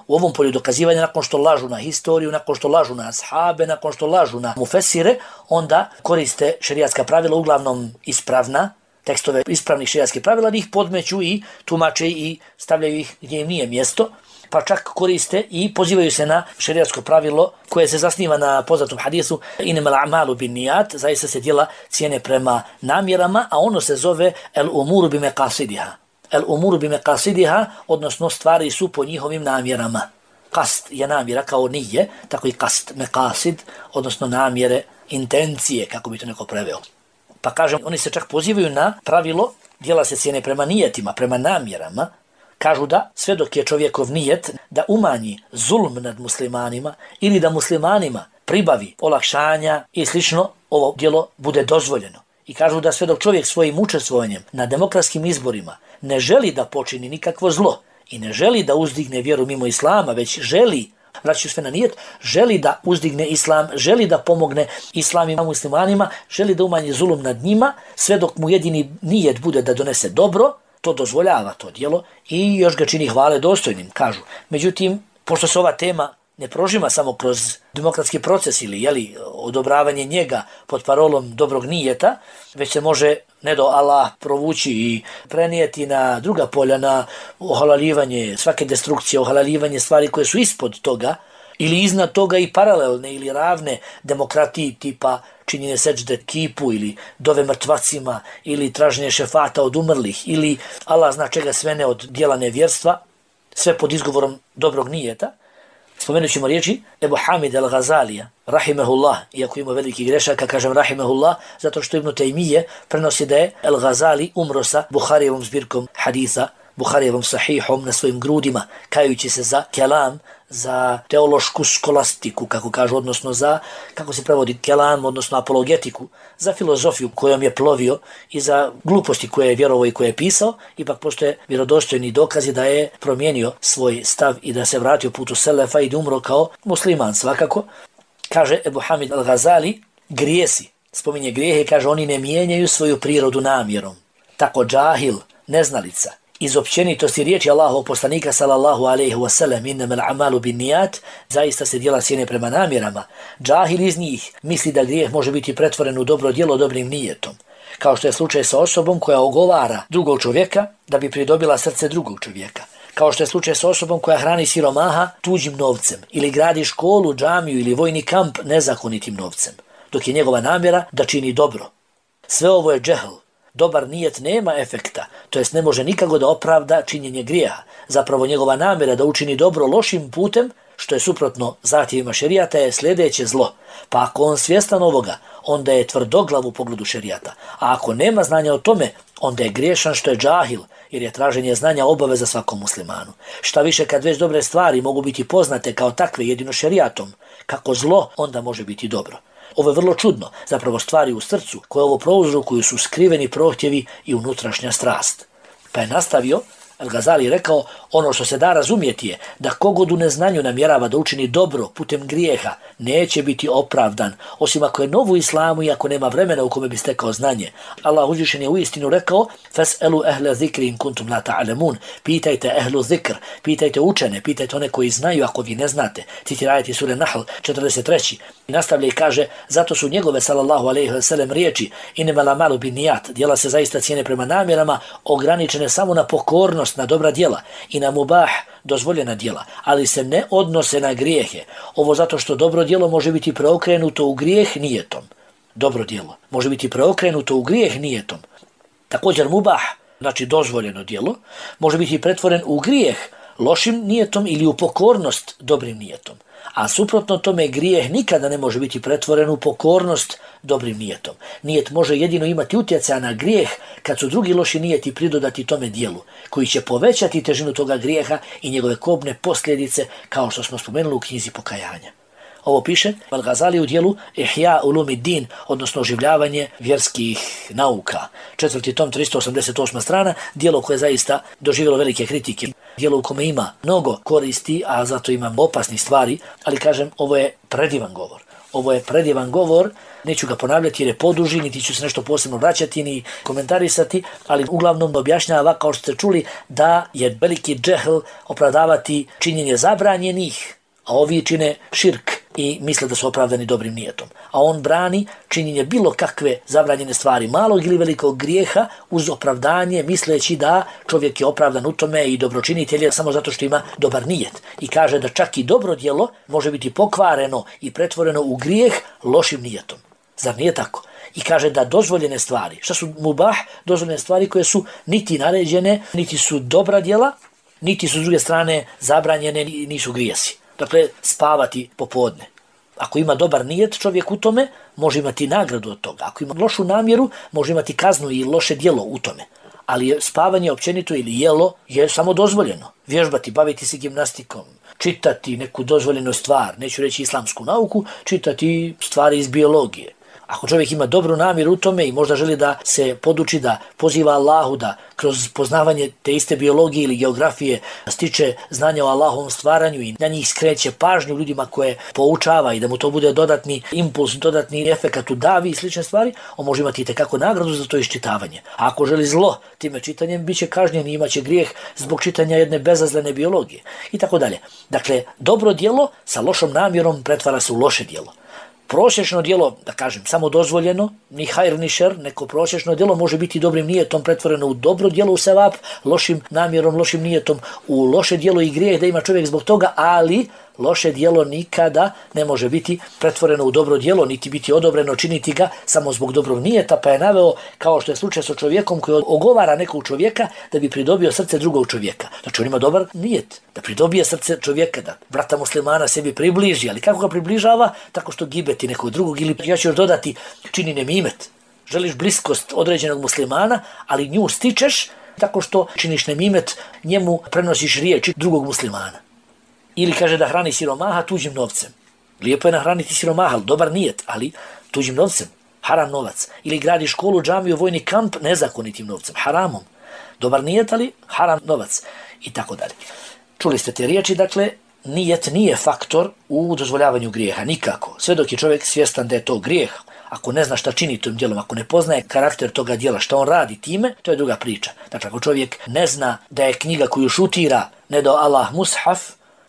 ovom polju dokazivanja, nakon što lažu na historiju, nakon što lažu na ashabe, nakon što lažu na mufesire, onda koriste šerijatska pravila uglavnom ispravna, tekstove ispravnih šerijatskih pravila, ih podmeću i tumače i stavljaju ih gdje im nije mjesto, pa čak koriste i pozivaju se na šerijatsko pravilo koje se zasniva na poznatom hadisu innamal a'malu binniyat, zaista se djela cijene prema namjerama, a ono se zove el umuru bi meqasidiha. El umuru bi meqasidiha, odnosno stvari su po njihovim namjerama. Kast je namjera kao nije, tako i kast, meqasid, odnosno namjere, intencije, kako bi to neko preveo. Pa kažem, oni se čak pozivaju na pravilo, djela se cijene prema nijetima, prema namjerama. Kažu da sve dok je čovjekov nijet da umanji zulm nad muslimanima ili da muslimanima pribavi olakšanja i slično, ovo djelo bude dozvoljeno. I kažu da sve dok čovjek svojim učestvovanjem na demokratskim izborima ne želi da počini nikakvo zlo i ne želi da uzdigne vjeru mimo islama, već želi, vraću sve na nijet, želi da uzdigne islam, želi da pomogne islamima muslimanima, želi da umanji zulum nad njima, sve dok mu jedini nijet bude da donese dobro, to dozvoljava to djelo i još ga čini hvale dostojnim, kažu. Međutim, pošto se ova tema ne prožima samo kroz demokratski proces ili odobravanje njega pod parolom dobrog nijeta, već se može ne do Allah provući i prenijeti na druga polja, na ohalaljivanje svake destrukcije, ohalaljivanje stvari koje su ispod toga ili iznad toga i paralelne ili ravne demokratiji tipa činjenje seđde kipu ili dove mrtvacima ili traženje šefata od umrlih ili Allah zna čega sve ne od djela nevjerstva, sve pod izgovorom dobrog nijeta. Spomenut ćemo riječi Ebu Hamid al-Ghazalija, rahimehullah, iako ima veliki grešaka, kažem rahimehullah, zato što Ibn Taymije prenosi da je al-Ghazali umro sa Buharijevom zbirkom haditha, Buharijevom sahihom na svojim grudima, kajući se za kelam, za teološku skolastiku, kako kažu, odnosno za, kako se prevodi kelam, odnosno apologetiku, za filozofiju kojom je plovio i za gluposti koje je vjerovao i koje je pisao, ipak postoje vjerodostojni dokazi da je promijenio svoj stav i da se vratio putu selefa i da umro kao musliman svakako. Kaže Ebu Hamid al-Ghazali, grijesi, spominje grijehe, kaže oni ne mijenjaju svoju prirodu namjerom. Tako džahil, neznalica, iz općenitosti riječi Allahovog poslanika sallallahu alejhi ve sellem innamal a'malu binniyat, zaista se djela cijene prema namjerama. Džahil iz njih misli da grijeh može biti pretvoren u dobro djelo dobrim nijetom, kao što je slučaj sa osobom koja ogovara drugog čovjeka da bi pridobila srce drugog čovjeka, kao što je slučaj sa osobom koja hrani siromaha tuđim novcem ili gradi školu, džamiju ili vojni kamp nezakonitim novcem, dok je njegova namjera da čini dobro. Sve ovo je džehl. Dobar nijet nema efekta, to jest ne može nikako da opravda činjenje grijeha. Zapravo njegova namjera da učini dobro lošim putem, što je suprotno zahtjevima šerijata, je sljedeće zlo. Pa ako on svjestan ovoga, onda je tvrdoglav u pogledu šerijata. A ako nema znanja o tome, onda je griješan što je džahil, jer je traženje znanja obaveza svakom muslimanu. Šta više, kad već dobre stvari mogu biti poznate kao takve jedino šerijatom, kako zlo onda može biti dobro. Ovo je vrlo čudno, zapravo stvari u srcu koje ovo prouzrokuju su skriveni prohtjevi i unutrašnja strast. Pa je nastavio, Al-Ghazali rekao, ono što se da razumjeti je da kogod u neznanju namjerava da učini dobro putem grijeha neće biti opravdan, osim ako je nov u islamu i ako nema vremena u kome bi stekao znanje. Allah uzvišen je uistinu rekao fas'alu ahla zikri in kuntum la ta'lamun, pitajte ehlu zikr, pitajte učene, pitajte one koji znaju ako vi ne znate. Citirajte sure Nahl 43. I nastavlja i kaže, zato su njegove sallallahu alejhi ve sellem riječi innamal a'malu binniyat, djela se zaista cijene prema namjerama, ograničene samo na pokornost, na dobra djela i na mubah, dozvoljena djela, ali se ne odnose na grijehe. Ovo zato što dobro djelo može biti preokrenuto u grijeh nijetom. Dobro djelo može biti preokrenuto u grijeh nijetom. Također mubah, znači dozvoljeno djelo, može biti pretvoren u grijeh lošim nijetom ili u pokornost dobrim nijetom. A suprotno tome grijeh nikada ne može biti pretvoren u pokornost dobrim nijetom. Nijet može jedino imati utjecaja na grijeh kad su drugi loši nijeti pridodati tome dijelu, koji će povećati težinu toga grijeha i njegove kobne posljedice, kao što smo spomenuli u knjizi pokajanja. Ovo piše Al-Ghazali u dijelu Ihya Ulumuddin, odnosno oživljavanje vjerskih nauka. 4. tom, 388. strana, dijelo koje je zaista doživjelo velike kritike. Dijelo u kome ima mnogo koristi, a zato ima opasnih stvari, ali kažem, ovo je predivan govor. Ovo je predivan govor, neću ga ponavljati jer je poduži, niti ću se nešto posebno vraćati ni komentarisati, ali uglavnom objašnjava, kao što ste čuli, da je veliki džehl opravdavati činjenje zabranjenih, a ovi čine širk, i misle da su opravdani dobrim nijetom. A on brani činjenje bilo kakve zabranjene stvari, malog ili velikog grijeha, uz opravdanje, misleći da čovjek je opravdan u tome i dobročinitelj je samo zato što ima dobar nijet. I kaže da čak i dobro djelo može biti pokvareno i pretvoreno u grijeh lošim nijetom. Zar nije tako? I kaže da dozvoljene stvari, šta su mubah, dozvoljene stvari koje su niti naređene, niti su dobra djela, niti su s druge strane zabranjene, nisu grijesi. Dakle, spavati popodne. Ako ima dobar nijet čovjek u tome, može imati nagradu od toga. Ako ima lošu namjeru, može imati kaznu i loše djelo u tome. Ali spavanje općenito ili jelo je samo dozvoljeno. Vježbati, baviti se gimnastikom, čitati neku dozvoljenu stvar, neću reći islamsku nauku, čitati stvari iz biologije. Ako čovjek ima dobru namjeru u tome i možda želi da se poduči, da poziva Allahu, da kroz poznavanje te iste biologije ili geografije stiče znanja o Allahovom stvaranju i na njih skreće pažnju ljudima koje poučava i da mu to bude dodatni impuls, dodatni efekat u davi i slične stvari, on može imati itekako nagradu za to iščitavanje. A ako želi zlo time čitanjem, bit će kažnjen i imaće grijeh zbog čitanja jedne bezazlene biologije i tako dalje. Dakle, dobro djelo sa lošom namjerom pretvara se u loše djelo. Prosječno djelo, da kažem, samo dozvoljeno, ni hajr ni šer, neko prosječno djelo može biti dobrim nijetom pretvoreno u dobro djelo u sevap, lošim namjerom, lošim nijetom u loše djelo i grijeh da ima čovjek zbog toga, ali loše djelo nikada ne može biti pretvoreno u dobro djelo, niti biti odobreno činiti ga samo zbog dobrog nijeta, pa je naveo kao što je slučaj sa čovjekom koji ogovara nekog čovjeka da bi pridobio srce drugog čovjeka. Znači on ima dobar nijet, da pridobije srce čovjeka, da brata muslimana sebi približi, ali kako ga približava? Tako što gibeti nekog drugog ili ja ću još dodati čini nemimet. Želiš bliskost određenog muslimana, ali nju stičeš tako što činiš nemimet, njemu prenosiš riječi drugog muslimana. Ili kaže da hrani siromaha tuđim novcem. Lijepo je nahraniti siromaha, dobar nijet, ali tuđim novcem, haram novac. Ili gradi školu, džamiju, vojni kamp nezakonitim novcem, haramom. Dobar nijet, ali haram novac i tako dalje. Čuli ste te riječi, dakle, nijet nije faktor u dozvoljavanju grijeha, nikako. Sve dok je čovjek svjestan da je to grijeh, ako ne zna šta čini tom djelom, ako ne poznaje karakter toga djela, šta on radi time, to je druga priča. Dakle, ako čovjek ne zna da je knjiga koju šutira ne dao Allah mushaf,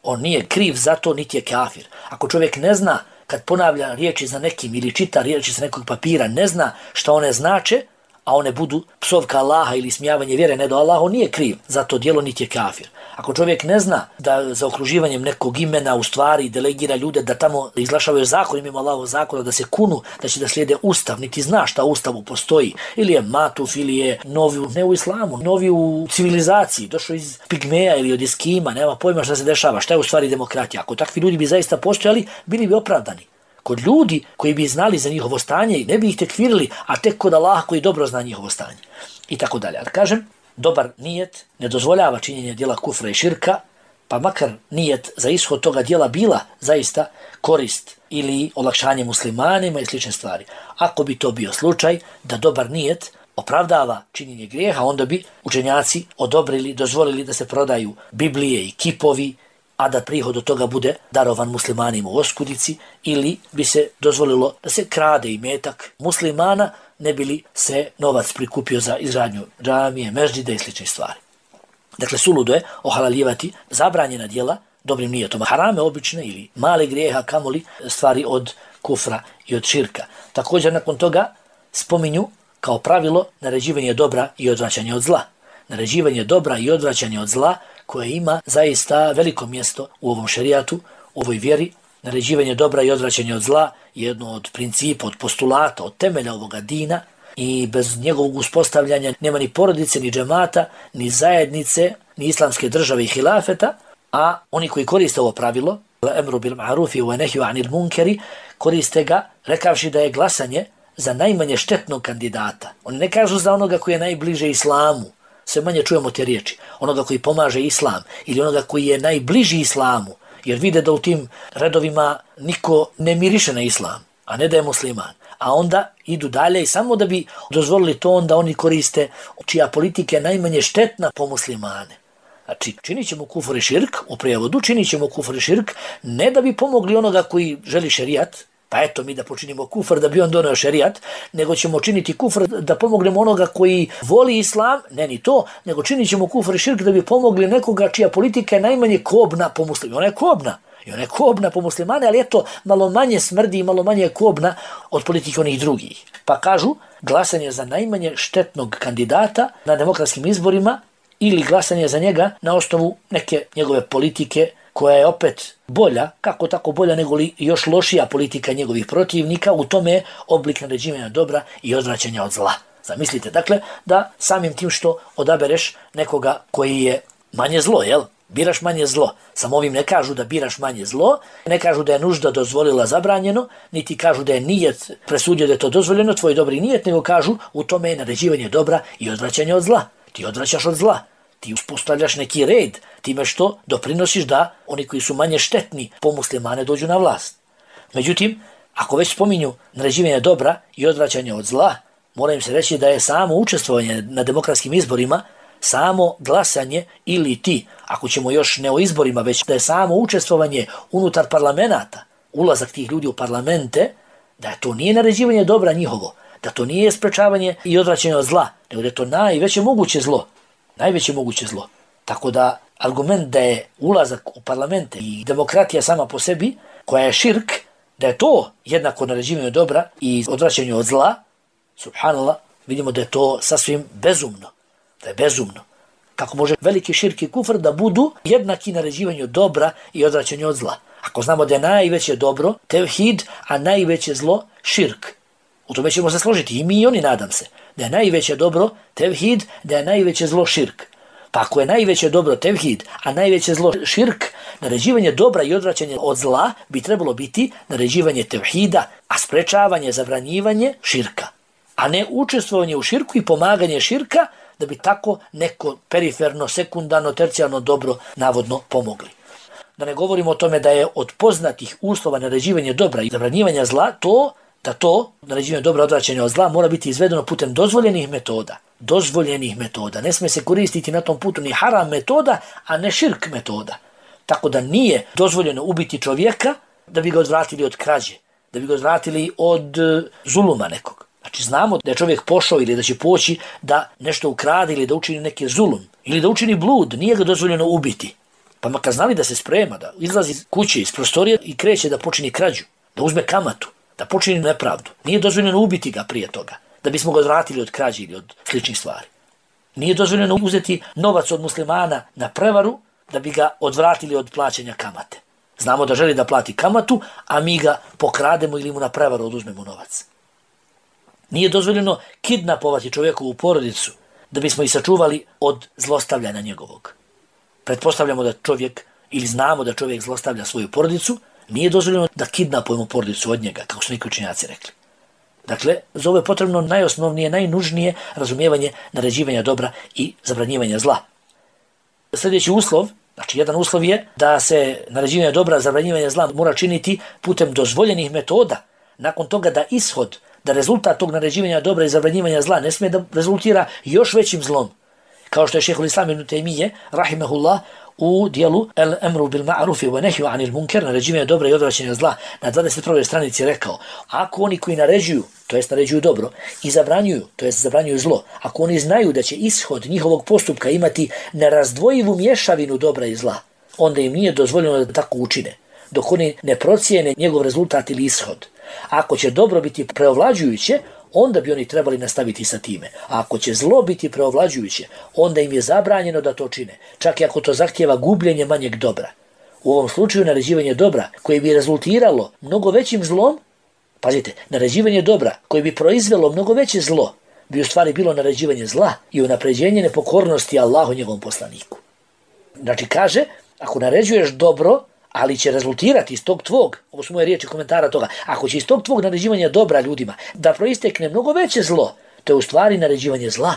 on nije kriv za to, niti je kafir. Ako čovjek ne zna, kad ponavlja riječi za nekim ili čita riječi sa nekog papira, ne zna šta one znače, a one budu psovka Allaha ili smijavanje vjere ne do Allaha, on nije kriv za to djelo, niti je kafir. Ako čovjek ne zna da za okruživanjem nekog imena u stvari delegira ljude da tamo izglašavaju zakon, mimo Allahov zakona, da se kunu, da će da slijede ustav, niti zna šta u ustavu postoji, ili je matuf, ili je novi, ne u islamu, novi u civilizaciji, došao iz pigmeja ili od eskima, nema pojma šta se dešava, šta je u stvari demokratija. Ako takvi ljudi bi zaista postojali, bili bi opravdani. Kod ljudi koji bi znali za njihovo stanje i ne bi ih tekfirili, a tek kod Allaha koji dobro zna njihovo stanje. I tako dalje. Ali kažem, dobar nijet ne dozvoljava činjenje djela kufra i širka, pa makar nijet za ishod toga djela bila zaista korist ili olakšanje muslimanima i slične stvari. Ako bi to bio slučaj da dobar nijet opravdava činjenje grijeha, onda bi učenjaci odobrili, dozvolili da se prodaju Biblije i kipovi, a da prihod od toga bude darovan muslimanima u oskudici, ili bi se dozvolilo da se krade imetak muslimana, ne bi li se novac prikupio za izgradnju džamije, meždžide i slične stvari. Dakle, suludo je ohalaljivati zabranjena djela dobrim nijetom. Harame obične ili male grijeha, kamoli stvari od kufra i od širka. Također nakon toga spominju kao pravilo naređivanje dobra i odvraćanje od zla. Naređivanje dobra i odvraćanje od zla koje ima zaista veliko mjesto u ovom šerijatu, u ovoj vjeri. Naređivanje dobra i odvraćanje od zla je jedno od principa, od postulata, od temelja ovoga dina i bez njegovog uspostavljanja nema ni porodice, ni džemata, ni zajednice, ni islamske države i hilafeta, a oni koji koriste ovo pravilo, emru bil ma'rufi wa nehju anil munkeri, koriste ga rekavši da je glasanje za najmanje štetnog kandidata. Oni ne kažu za onoga koji je najbliže islamu, sve manje čujemo te riječi, onoga koji pomaže islam ili onoga koji je najbliži islamu, jer vide da u tim redovima niko ne miriše na islam, a ne da je musliman. A onda idu dalje i samo da bi dozvolili to, onda oni koriste čija politika je najmanje štetna po muslimane. Znači, činit ćemo kufr i širk, u prijevodu činit ćemo kufr i širk, ne da bi pomogli onoga koji želi šerijat, pa eto mi da počinimo kufr da bi on donio šerijat, nego ćemo činiti kufr da pomognemo onoga koji voli islam, ne ni to, nego činit ćemo kufr i širk da bi pomogli nekoga čija politika je najmanje kobna po muslimu. Ona je kobna. I ona je kobna po muslimane, ali eto, malo manje smrdi i malo manje je kobna od politike onih drugih. Pa kažu, glasanje za najmanje štetnog kandidata na demokratskim izborima ili glasanje za njega na osnovu neke njegove politike koja je opet bolja, kako tako bolja nego li još lošija politika njegovih protivnika, u tome je oblik naređivanja dobra i odvraćanja od zla. Zamislite, dakle, da samim tim što odabereš nekoga koji je manje zlo, jel? Biraš manje zlo. Samo ovim ne kažu da biraš manje zlo, ne kažu da je nužda dozvolila zabranjeno, niti kažu da je nijet presudio da je to dozvoljeno, tvoj dobri nijet, nego kažu u tome je naređivanje dobra i odvraćanje od zla. Ti odvraćaš od zla. Ti uspostavljaš neki red, time što doprinosiš da oni koji su manje štetni po muslimane dođu na vlast. Međutim, ako već spominju naređivanje dobra i odvraćanje od zla, mora im se reći da je samo učestvovanje na demokratskim izborima, samo glasanje ili ti, ako ćemo još ne o izborima, već da je samo učestvovanje unutar parlamenta, ulazak tih ljudi u parlamente, da to nije naređivanje dobra njihovo, da to nije sprečavanje i odvraćanje od zla, nego da je to najveće moguće zlo. Najveće moguće zlo. Tako da argument da je ulazak u parlamente i demokratija sama po sebi, koja je širk, da je to jednako naređivanje dobra i odvraćanje od zla, subhanallah, vidimo da je to sasvim bezumno. Da je bezumno. Kako može veliki širk i kufr da budu jednaki naređivanju dobra i odvraćanju od zla. Ako znamo da je najveće dobro tevhid, a najveće zlo širk. U tome ćemo se složiti i mi i oni, nadam se. Da je najveće dobro tevhid, da je najveće zlo širk. Pa ako je najveće dobro tevhid, a najveće zlo širk, naređivanje dobra i odvraćanje od zla bi trebalo biti naređivanje tevhida, a sprečavanje, zabranjivanje širka. A ne učestvovanje u širku i pomaganje širka da bi tako neko periferno, sekundarno, tercijalno dobro navodno pomogli. Da ne govorimo o tome da je od poznatih uslova naređivanja dobra i zabranjivanja zla da to, naređivanje dobra, odvraćanje od zla, mora biti izvedeno putem dozvoljenih metoda. Dozvoljenih metoda. Ne smije se koristiti na tom putu ni haram metoda, a ne širk metoda. Tako da nije dozvoljeno ubiti čovjeka da bi ga odvratili od krađe, da bi ga odvratili od zuluma nekog. Znači znamo da je čovjek pošao ili da će poći da nešto ukrade ili da učini neki zulum ili da učini blud, nije ga dozvoljeno ubiti. Pa makar znali da se sprema, da izlazi iz kuće, iz prostorije i kreće da počini krađu, da uzme kamatu, da počini nepravdu. Nije dozvoljeno ubiti ga prije toga, da bismo ga odvratili od krađe ili od sličnih stvari. Nije dozvoljeno uzeti novac od muslimana na prevaru da bi ga odvratili od plaćanja kamate. Znamo da želi da plati kamatu, a mi ga pokrademo ili mu na prevaru oduzmemo novac. Nije dozvoljeno kidnapovati čovjekovu porodicu da bismo ih sačuvali od zlostavljanja njegovog. Pretpostavljamo da čovjek, ili znamo da čovjek zlostavlja svoju porodicu, nije dozvoljeno da kidnapujemo porodicu od njega, kako su neki učenjaci rekli. Dakle, za ovo je potrebno najosnovnije, najnužnije razumijevanje naređivanja dobra i zabranjivanja zla. Sljedeći uslov, znači jedan uslov je da se naređivanje dobra i zabranjivanje zla mora činiti putem dozvoljenih metoda. Nakon toga da ishod, da rezultat tog naređivanja dobra i zabranjivanja zla ne smije da rezultira još većim zlom. Kao što je šejhul Islam ibn Taymije, rahimehullah, u dijelu El Emru bil Ma'rufi wa Nehju anil Munkar, naređivanje dobra i odvraćanje zla, na 21. stranici rekao, ako oni koji naređuju, to jest naređuju dobro, i zabranjuju, to jest zabranjuju zlo, ako oni znaju da će ishod njihovog postupka imati nerazdvojivu mješavinu dobra i zla, onda im nije dozvoljeno da tako učine, dok oni ne procijene njegov rezultat ili ishod. Ako će dobro biti preovlađujuće, onda bi oni trebali nastaviti sa time. A ako će zlo biti preovlađujuće, onda im je zabranjeno da to čine, čak i ako to zahtjeva gubljenje manjeg dobra. U ovom slučaju naređivanje dobra koje bi rezultiralo mnogo većim zlom, pazite, naređivanje dobra koje bi proizvelo mnogo veće zlo, bi u stvari bilo naređivanje zla i unapređenje nepokornosti Allahu njegovom poslaniku. Znači kaže, ako naređuješ dobro, ali će rezultirati iz tog tvog, ovo su moje riječi komentara toga, ako će iz tog tvog naređivanja dobra ljudima da proistekne mnogo veće zlo, to je u stvari naređivanje zla.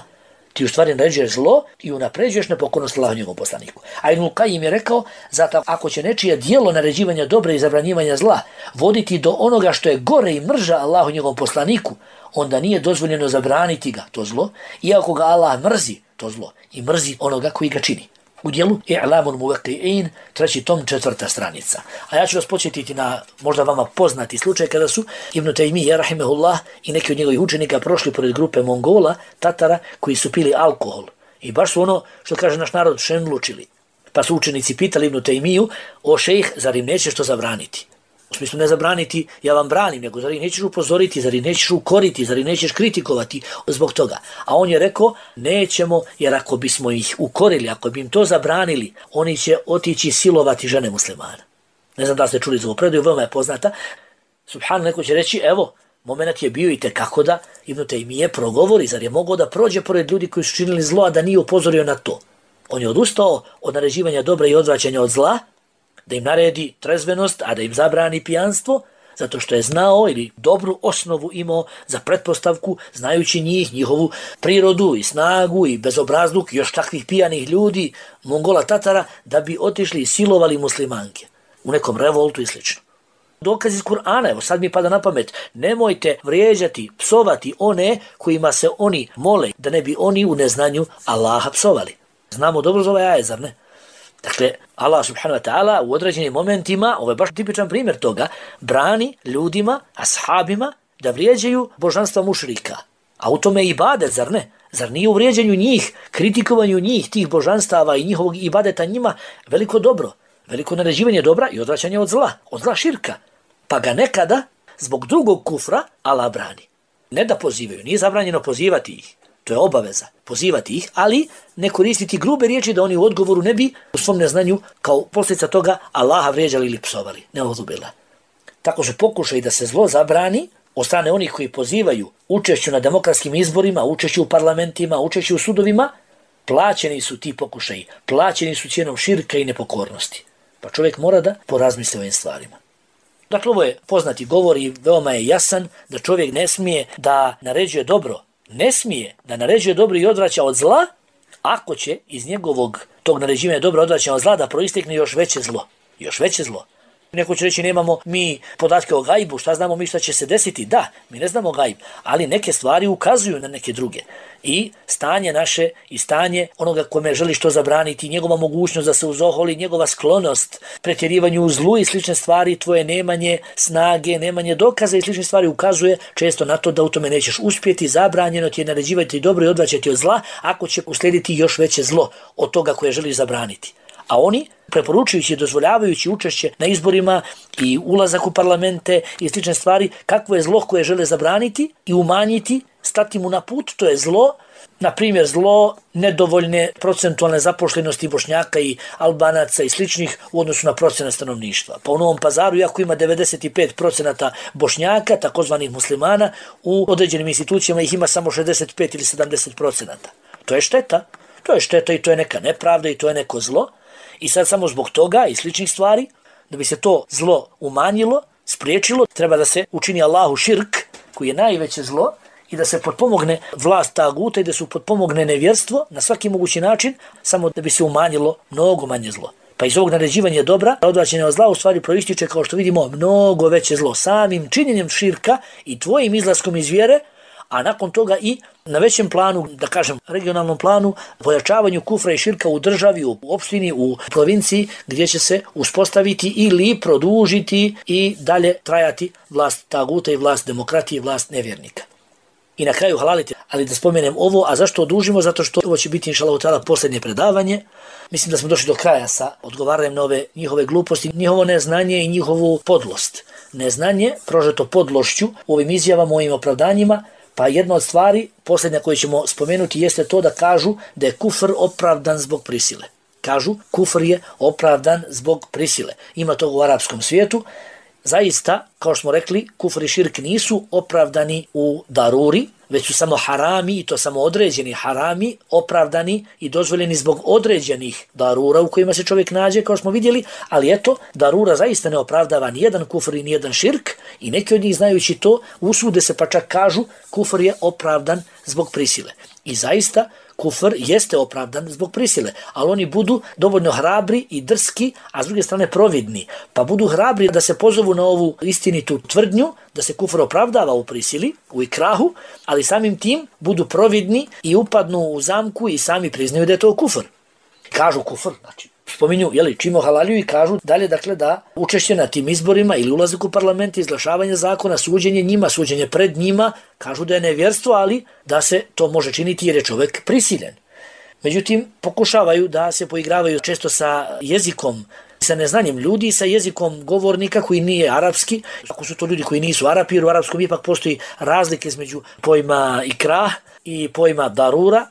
Ti u stvari naređuješ zlo i unapređuješ nepokornost Allahu njegovom poslaniku. A Ibnul Kajim je rekao, zato ako će nečije dijelo naređivanja dobra i zabranjivanja zla voditi do onoga što je gore i mrža Allahu njegovom poslaniku, onda nije dozvoljeno zabraniti ga, to zlo, iako ga Allah mrzi, to zlo, i mrzi onoga koji ga čini. U dijelu I'lamul Muwaqqi'in, 3. tom, 4. stranica. A ja ću vas podsjetiti na možda vama poznati slučaj kada su Ibn Taymije, rahimehullah, i neki od njegovih učenika prošli pored grupe Mongola, Tatara, koji su pili alkohol. I baš su ono, što kaže naš narod, šenlučili. Pa su učenici pitali Ibn Taymiju, o šejh, zar im nećeš to zabraniti? U smislu ne zabraniti, ja vam branim, nego zar ih nećeš upozoriti, zar ih nećeš ukoriti, zar ih nećeš kritikovati zbog toga. A on je rekao, nećemo, jer ako bismo ih ukorili, ako bi im to zabranili, oni će otići silovati žene muslimana. Ne znam da ste čuli za ovu predaju, veoma je poznata. Subhanallah, neko će reći, evo, moment je bio i tekako da Ibn Taymije progovori, zar je mogao da prođe pored ljudi koji su činili zlo, a da nije upozorio na to. On je odustao od naređivanja dobra i odvraćanja od zla, da im naredi trezvenost, a da im zabrani pijanstvo, zato što je znao ili dobru osnovu imao za pretpostavku, znajući njih, njihovu prirodu i snagu i bezobrazluk još takvih pijanih ljudi, Mongola, Tatara, da bi otišli i silovali muslimanke u nekom revoltu i slično. Dokaz iz Kur'ana, evo sad mi pada na pamet, nemojte vrijeđati, psovati one kojima se oni mole, da ne bi oni u neznanju Allaha psovali. Znamo dobro za ovaj ajet, zar ne? Dakle, Allah subhanahu wa ta'ala u određenim momentima, ovo je baš tipičan primjer toga, brani ljudima, ashabima, da vrijeđaju božanstva mušrika. A u tome je ibadet, zar ne? Zar nije u vrijeđanju njih, kritikovanju njih, tih božanstava i njihovog ibadeta njima veliko dobro, veliko naređivanje dobra i odvraćanje od zla širka. Pa ga nekada, zbog drugog kufra, Allah brani. Ne da pozivaju, nije zabranjeno pozivati ih. To je obaveza, pozivati ih, ali ne koristiti grube riječi da oni u odgovoru ne bi u svom neznanju kao posljedica toga Allaha vrijeđali ili psovali. Ne odubila. Tako se pokušaj da se zlo zabrani od strane onih koji pozivaju učešću na demokratskim izborima, učešću u parlamentima, učešću u sudovima, plaćeni su ti pokušaji, plaćeni su cijenom širka i nepokornosti. Pa čovjek mora da porazmisli o ovim stvarima. Dakle, ovo je poznati govor i veoma je jasan da čovjek ne smije da naređuje dobro, ne smije da naređuje dobro i odvraća od zla, ako će iz njegovog tog naređivanja dobro odvraćanja od zla da proistekne još veće zlo. Još veće zlo. Neko će reći nemamo mi podatke o gajbu, šta znamo mi šta će se desiti? Da, mi ne znamo gajb, ali neke stvari ukazuju na neke druge. I stanje naše i stanje onoga kome želi što zabraniti, njegova mogućnost da se uzoholi, njegova sklonost pretjerivanju u zlu i slične stvari, tvoje nemanje snage, nemanje dokaza i slične stvari ukazuje često na to da u tome nećeš uspjeti, zabranjeno ti je naređivati dobro i odvraćati od zla, ako će uslijediti još veće zlo od toga koje želi zabraniti. A oni, preporučujući i dozvoljavajući učešće na izborima i ulazak u parlamente i slične stvari, kakvo je zlo koje žele zabraniti i umanjiti, stati mu na put, to je zlo, na primjer zlo nedovoljne procentualne zapošljenosti Bošnjaka i Albanaca i sličnih u odnosu na procenat stanovništva. Pa u Novom Pazaru, iako ima 95% Bošnjaka, takozvanih muslimana, u određenim institucijama ih ima samo 65 ili 70%. To je šteta. To je šteta i to je neka nepravda i to je neko zlo. I sad samo zbog toga i sličnih stvari, da bi se to zlo umanjilo, spriječilo, treba da se učini Allahu širk, koji je najveće zlo, i da se potpomogne vlast taguta i da se potpomogne nevjerstvo na svaki mogući način, samo da bi se umanjilo mnogo manje zlo. Pa iz ovog naređivanja dobra, odvraćanja od zla u stvari proističe, kao što vidimo, mnogo veće zlo. Samim činjenjem širka i tvojim izlaskom iz vjere, a nakon toga i na većem planu, da kažem regionalnom planu, pojačavanju kufra i širka u državi, u opštini, u provinciji, gdje će se uspostaviti ili produžiti i dalje trajati vlast taguta i vlast demokratije i vlast nevjernika. I na kraju halalite, ali da spomenem ovo, a zašto odužimo? Zato što ovo će biti inšallahu ta'ala posljednje predavanje. Mislim da smo došli do kraja sa odgovaranjem na ove njihove gluposti, njihovo neznanje i njihovu podlost. Neznanje, prožeto podlošću u ovim izjavama, u ovim opravdanjima. Pa jedna od stvari, posljednja koju ćemo spomenuti, jeste to da kažu da je kufr opravdan zbog prisile. Kažu, kufr je opravdan zbog prisile. Ima toga u arapskom svijetu. Zaista, kao što smo rekli, kufr i širk nisu opravdani u daruri, već su samo harami, i to samo određeni harami, opravdani i dozvoljeni zbog određenih darura u kojima se čovjek nađe, kao smo vidjeli, ali eto, darura zaista ne opravdava nijedan kufr i nijedan širk, i neki od njih, znajući to, usude se pa čak kažu kufr je opravdan zbog prisile. I zaista, kufr jeste opravdan zbog prisile, ali oni budu dovoljno hrabri i drski, a s druge strane providni. Pa budu hrabri da se pozovu na ovu istinitu tvrdnju, da se kufr opravdava u prisili, u ikrahu, ali samim tim budu providni i upadnu u zamku i sami priznaju da je to kufr. Kažu kufr, znači spominju, čim ohalaljuju i kažu dalje, dakle, da učešće na tim izborima ili ulazak u parlament, izglašavanje zakona, suđenje njima, suđenje pred njima, kažu da je nevjerstvo, ali da se to može činiti jer je čovjek prisiljen. Međutim, pokušavaju da se poigravaju često sa jezikom, sa neznanjem ljudi, sa jezikom govornika koji nije arapski. Ako su to ljudi koji nisu Arapi, jer u arapskom ipak postoji razlike između pojma ikrah i pojma darura.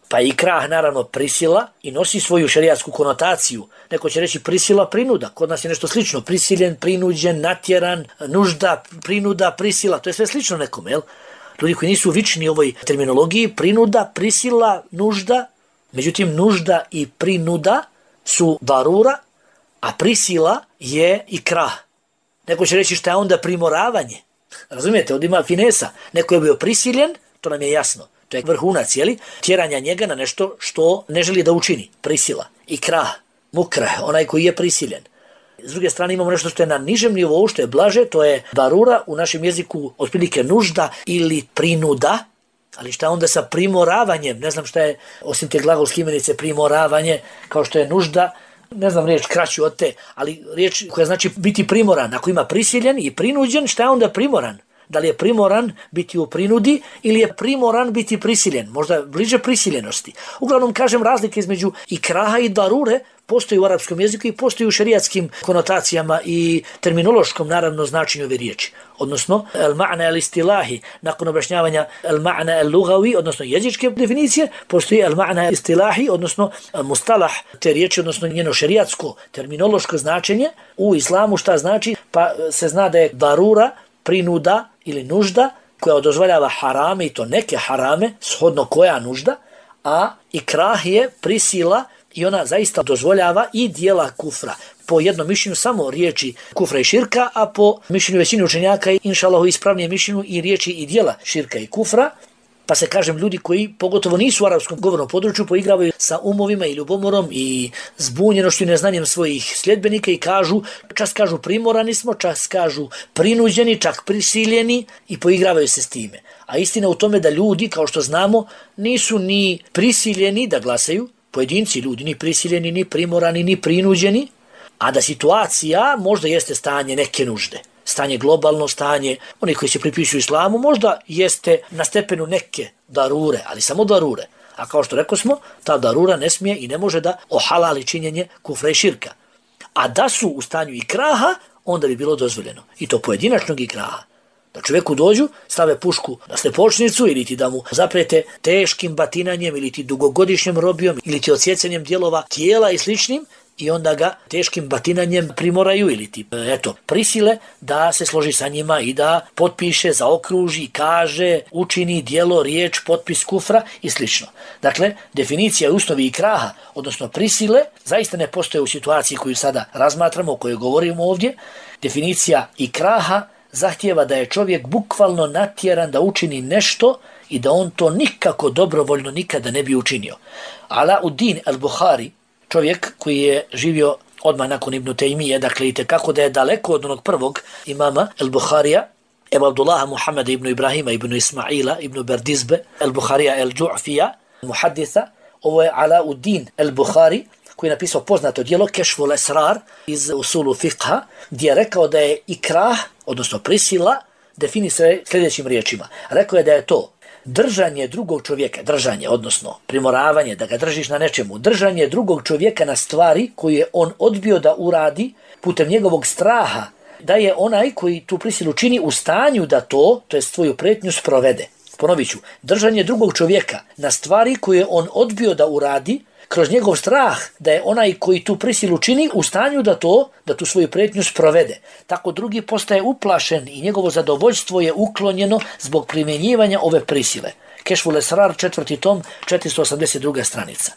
Pa ikrah naravno prisila i nosi svoju šerijatsku konotaciju. Neko će reći prisila, prinuda. Kod nas je nešto slično. Prisiljen, prinuđen, natjeran, nužda, prinuda, prisila. To je sve slično nekome, jel? Ljudi koji nisu vični ovoj terminologiji, prinuda, prisila, nužda. Međutim, nužda i prinuda su darura, a prisila je ikrah. Neko će reći šta je onda primoravanje. Razumijete, ovdje ima finesa. Neko je bio prisiljen, to nam je jasno. To je vrhunac, jeli? Tjeranja njega na nešto što ne želi da učini. Prisila. Ikrah, mukrah, onaj koji je prisiljen. S druge strane imamo nešto što je na nižem nivou, što je blaže, to je darura, u našem jeziku otprilike nužda ili prinuda. Ali šta onda sa primoravanjem? Ne znam šta je, osim te glagolske imenice, primoravanje, kao što je nužda, ne znam riječ kraću od te, ali riječ koja znači biti primoran. Ako ima prisiljen i prinuđen, šta je onda primoran? Da li je primoran biti u prinudi ili je primoran biti prisiljen? Možda bliže prisiljenosti. Uglavnom, kažem, razlike između ikraha i darure postoji u arapskom jeziku i postoji u šerijatskim konotacijama i terminološkom, naravno, značenju ove riječi. Odnosno, al-ma'na al-istilahi, nakon objašnjavanja al-ma'na al-lugawi, odnosno jezičke definicije, postoji al-ma'na al-istilahi, odnosno mustalah te riječi, odnosno njeno šerijatsko terminološko značenje. U islamu šta znači? Pa se zna da je darura, prinuda ili nužda koja dozvoljava harame, i to neke harame, shodno koja nužda, a ikrah je prisila i ona zaista dozvoljava i dijela kufra. Po jednom mišljenju samo riječi kufra i širka, a po mišljenju većine učenjaka inšalahu ispravnije mišljenju i riječi i dijela širka i kufra. Pa se, kažem, ljudi koji pogotovo nisu u arapskom govornom području poigravaju sa umovima i ljubomorom i zbunjenošću i neznanjem svojih sljedbenika i kažu, čas kažu primorani smo, čas kažu prinuđeni, čak prisiljeni i poigravaju se s time. A istina u tome da ljudi, kao što znamo, nisu ni prisiljeni da glasaju, pojedinci ljudi, ni prisiljeni, ni primorani, ni prinuđeni, a da situacija možda jeste stanje neke nužde. Stanje globalno, stanje onih koji se pripisuju islamu, možda jeste na stepenu neke darure, ali samo darure. A kao što rekao smo, ta darura ne smije i ne može da ohalali činjenje kufra i širka. A da su u stanju ikraha, onda bi bilo dozvoljeno. I to pojedinačnog ikraha. Da čovjeku dođu, stave pušku na stepočnicu ili ti da mu zaprete teškim batinanjem ili ti dugogodišnjom robijom ili ti odsjecanjem dijelova tijela i sličnim, i onda ga teškim batinanjem primoraju ili ti, prisile da se složi sa njima i da potpiše, zaokruži, kaže, učini dijelo, riječ, potpis kufra i slično. Dakle, definicija i usnovi ikraha, odnosno prisile, zaista ne postoje u situaciji koju sada razmatramo, o kojoj govorimo ovdje. Definicija ikraha zahtijeva da je čovjek bukvalno natjeran da učini nešto i da on to nikako dobrovoljno nikada ne bi učinio. Alauddin al-Buhari, čovjek koji je živio odmah nakon Ibn Taymije, dakle i tekako da je daleko od onog prvog imama al-Buharija, Ebu Abdullaha Muhammeda ibn Ibrahima ibn Ismaila ibn Berdizbe, al-Buharija al-Ju'fija, muhadditha. Ovo je Alauddin al-Buhari, koji je napisao poznato djelo Kešful Esrar iz usulu fiqha, gdje je rekao da je ikrah, odnosno prisila, definisuje sljedećim riječima. Rekao je da je to držanje drugog čovjeka, držanje, odnosno primoravanje, da ga držiš na nečemu, držanje drugog čovjeka na stvari koju je on odbio da uradi putem njegovog straha, da je onaj koji tu prisilu čini u stanju da to je svoju pretnju, sprovede. Ponovit ću, držanje drugog čovjeka na stvari koje je on odbio da uradi, kroz njegov strah da je onaj koji tu prisilu čini u stanju da tu svoju pretnju sprovede. Tako drugi postaje uplašen i njegovo zadovoljstvo je uklonjeno zbog primjenjivanja ove prisile. Kešful Esrar, 4. tom, 482. stranica.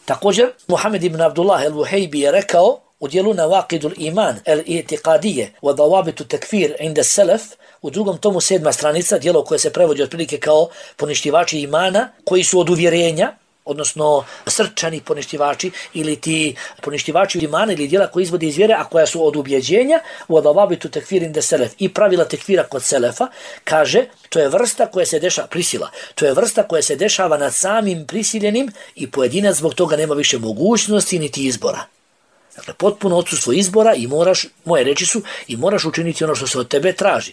Također, Muhammed ibn Abdullah al-Wuhejbi je rekao u dijelu Nawaqidul Iman al-I'tiqadije wa dawabitu takfir inda salaf, u 2. tomu 7. stranica, dijelo koje se prevodi otprilike kao poništivači imana koji su od uvjerenja, odnosno srčani poništivači ili ti poništivači imana ili djela koji izvode iz vjere, a koja su od ubjeđenja, u adababitu tekfir inda selef, i pravila tekfira kod selefa, kaže, to je vrsta koja se dešava, prisila, to je vrsta koja se dešava nad samim prisiljenim i pojedinac zbog toga nema više mogućnosti niti izbora. Dakle, potpuno odsustvo izbora i moje reči su, i moraš učiniti ono što se od tebe traži.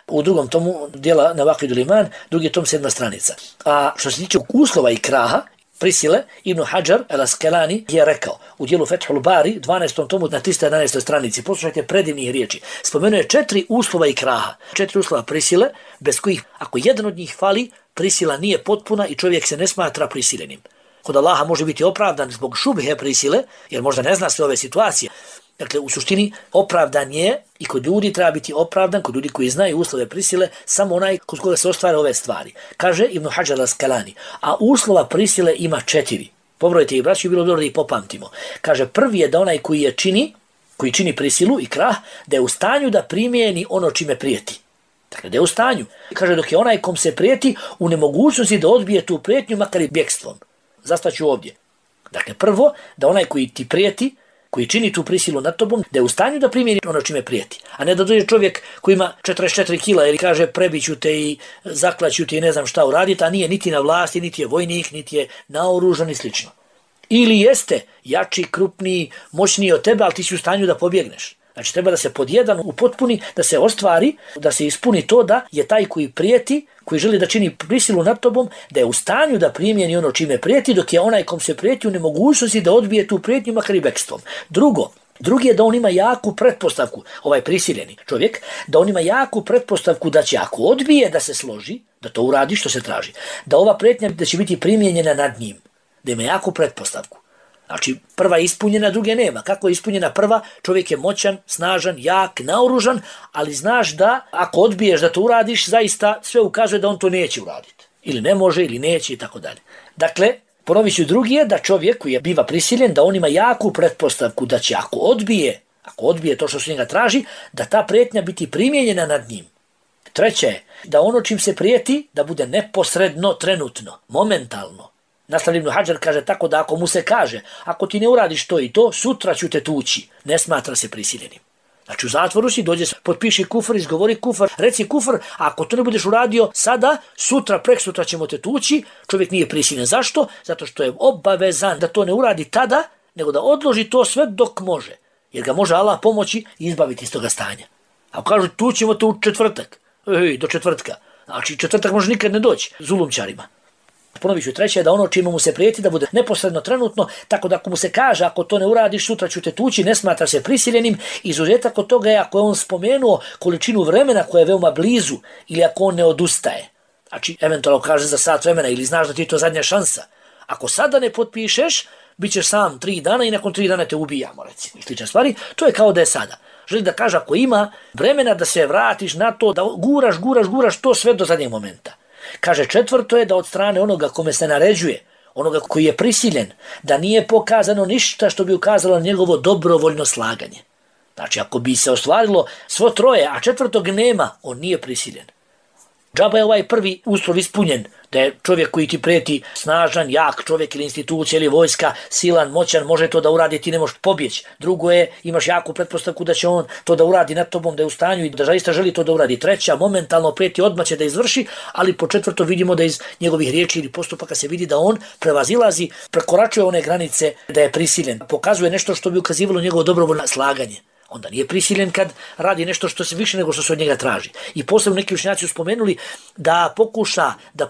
U 2. tomu dijela Nawaqidul Iman, 2. tom 7. stranica. A što se tiče uslova ikraha, prisile, Ibn Hajar el-Askelani je rekao u dijelu Fethul Bari, 12. tomu na 311. stranici, poslušajte predivnih riječi, spomenuo je 4 uslova ikraha, 4 uslova prisile, bez kojih, ako jedan od njih fali, prisila nije potpuna i čovjek se ne smatra prisiljenim. Kod Allaha može biti opravdan zbog šubhe prisile, jer možda ne zna sve ove situacije. Dakle, u suštini opravdan je i kod ljudi treba biti opravdan, kod ljudi koji znaju uslove prisile, samo onaj kod koga se ostvare ove stvari. Kaže Ibn Hajar al-Askelani, a uslova prisile ima 4. Pobrojite ih, braći, bilo dobro da ih popamtimo. Kaže, prvi je da onaj koji čini prisilu i krah, da je u stanju da primijeni ono čime prijeti. Dakle, da je u stanju. Kaže, dok je onaj kom se prijeti u nemogućnosti da odbije tu prijetnju, makar i bjekstvom. Zastaću ovdje. Dakle, prvo, da onaj koji ti prijeti, koji čini tu prisilu nad tobom, da je u stanju da primjeni ono čime prijeti. A ne da dođe čovjek koji ima 44 kila ili kaže prebiću te i zaklaću te i ne znam šta uraditi, a nije niti na vlasti, niti je vojnik, niti je naoružan i slično. Ili jeste jači, krupniji, moćniji od tebe, ali ti si u stanju da pobjegneš. Znači treba da se pod jedan upotpuni, da se ostvari, da se ispuni to da je taj koji prijeti, koji želi da čini prisilu nad tobom, da je u stanju da primjeni ono čime prijeti, dok je onaj kom se prijeti u nemogućnosti da odbije tu prijetnju makar i bekstvom. Drugi je da on ima jaku pretpostavku, ovaj prisiljeni čovjek, da on ima jaku pretpostavku da će ako odbije da se složi, da to uradi što se traži, da ova prijetnja da će biti primjenjena nad njim, da ima jaku pretpostavku. Znači, prva je ispunjena, druge nema. Kako je ispunjena prva? Čovjek je moćan, snažan, jak, naoružan, ali znaš da ako odbiješ da to uradiš, zaista sve ukazuje da on to neće uraditi. Ili ne može, ili neće i tako dalje. Dakle, ponovit ću, drugi je da čovjek koji je biva prisiljen, da on ima jaku pretpostavku da će ako odbije to što se njega traži, da ta prijetnja biti primjenjena nad njim. Treće je da ono čim se prijeti, da bude neposredno, trenutno, momentalno. Nastavlja Ibn Hajar kaže tako da ako mu se kaže, ako ti ne uradiš to i to, sutra ću te tući, ne smatra se prisiljenim. Znači u zatvoru si, dođe, potpiši kufr, izgovori kufr, reci kufr, a ako to ne budeš uradio sada, sutra, preksutra ćemo te tući, čovjek nije prisiljen. Zašto? Zato što je obavezan da to ne uradi tada, nego da odloži to sve dok može. Jer ga može Allah pomoći i izbaviti iz toga stanja. Ako kažu tućemo te u četvrtak, do četvrtka, znači četvrtak može nikad ne doći zulumčarima. Ponovit ću, treće je da ono čime mu se prijeti da bude neposredno trenutno, tako da ako mu se kaže ako to ne uradiš sutra ću te tući, ne smatra se prisiljenim. Izuzetak od toga je ako je on spomenuo količinu vremena koja je veoma blizu ili ako on ne odustaje. Znači eventualno kaže za sat vremena ili znaš da ti je to zadnja šansa. Ako sada ne potpišeš, bit ćeš sam 3 dana i nakon 3 dana te ubijamo, recimo, i slične stvari. To je kao da je sada. Želi da kaže ako ima vremena da se vratiš na to, da guraš to sve do zadnjeg momenta. Kaže četvrto je da od strane onoga kome se naređuje, onoga koji je prisiljen, da nije pokazano ništa što bi ukazalo na njegovo dobrovoljno slaganje. Znači ako bi se ostvarilo svo troje, a četvrtog nema, on nije prisiljen. Džaba je ovaj prvi uslov ispunjen, da je čovjek koji ti prijeti snažan, jak čovjek ili institucija ili vojska, silan, moćan, može to da uradi, ti ne možeš pobjeći. Drugo je, imaš jaku pretpostavku da će on to da uradi nad tobom, da je u stanju i da zaista želi to da uradi. Treća, momentalno prijeti, odmah će da izvrši, ali po četvrto vidimo da iz njegovih riječi ili postupaka se vidi da on prevazilazi, prekoračuje one granice da je prisiljen. Pokazuje nešto što bi ukazivalo njegovo dobrovoljno slaganje. Onda nije prisiljen kad radi nešto što se više nego što se od njega traži. I posebno neki učenjaci su spomenuli da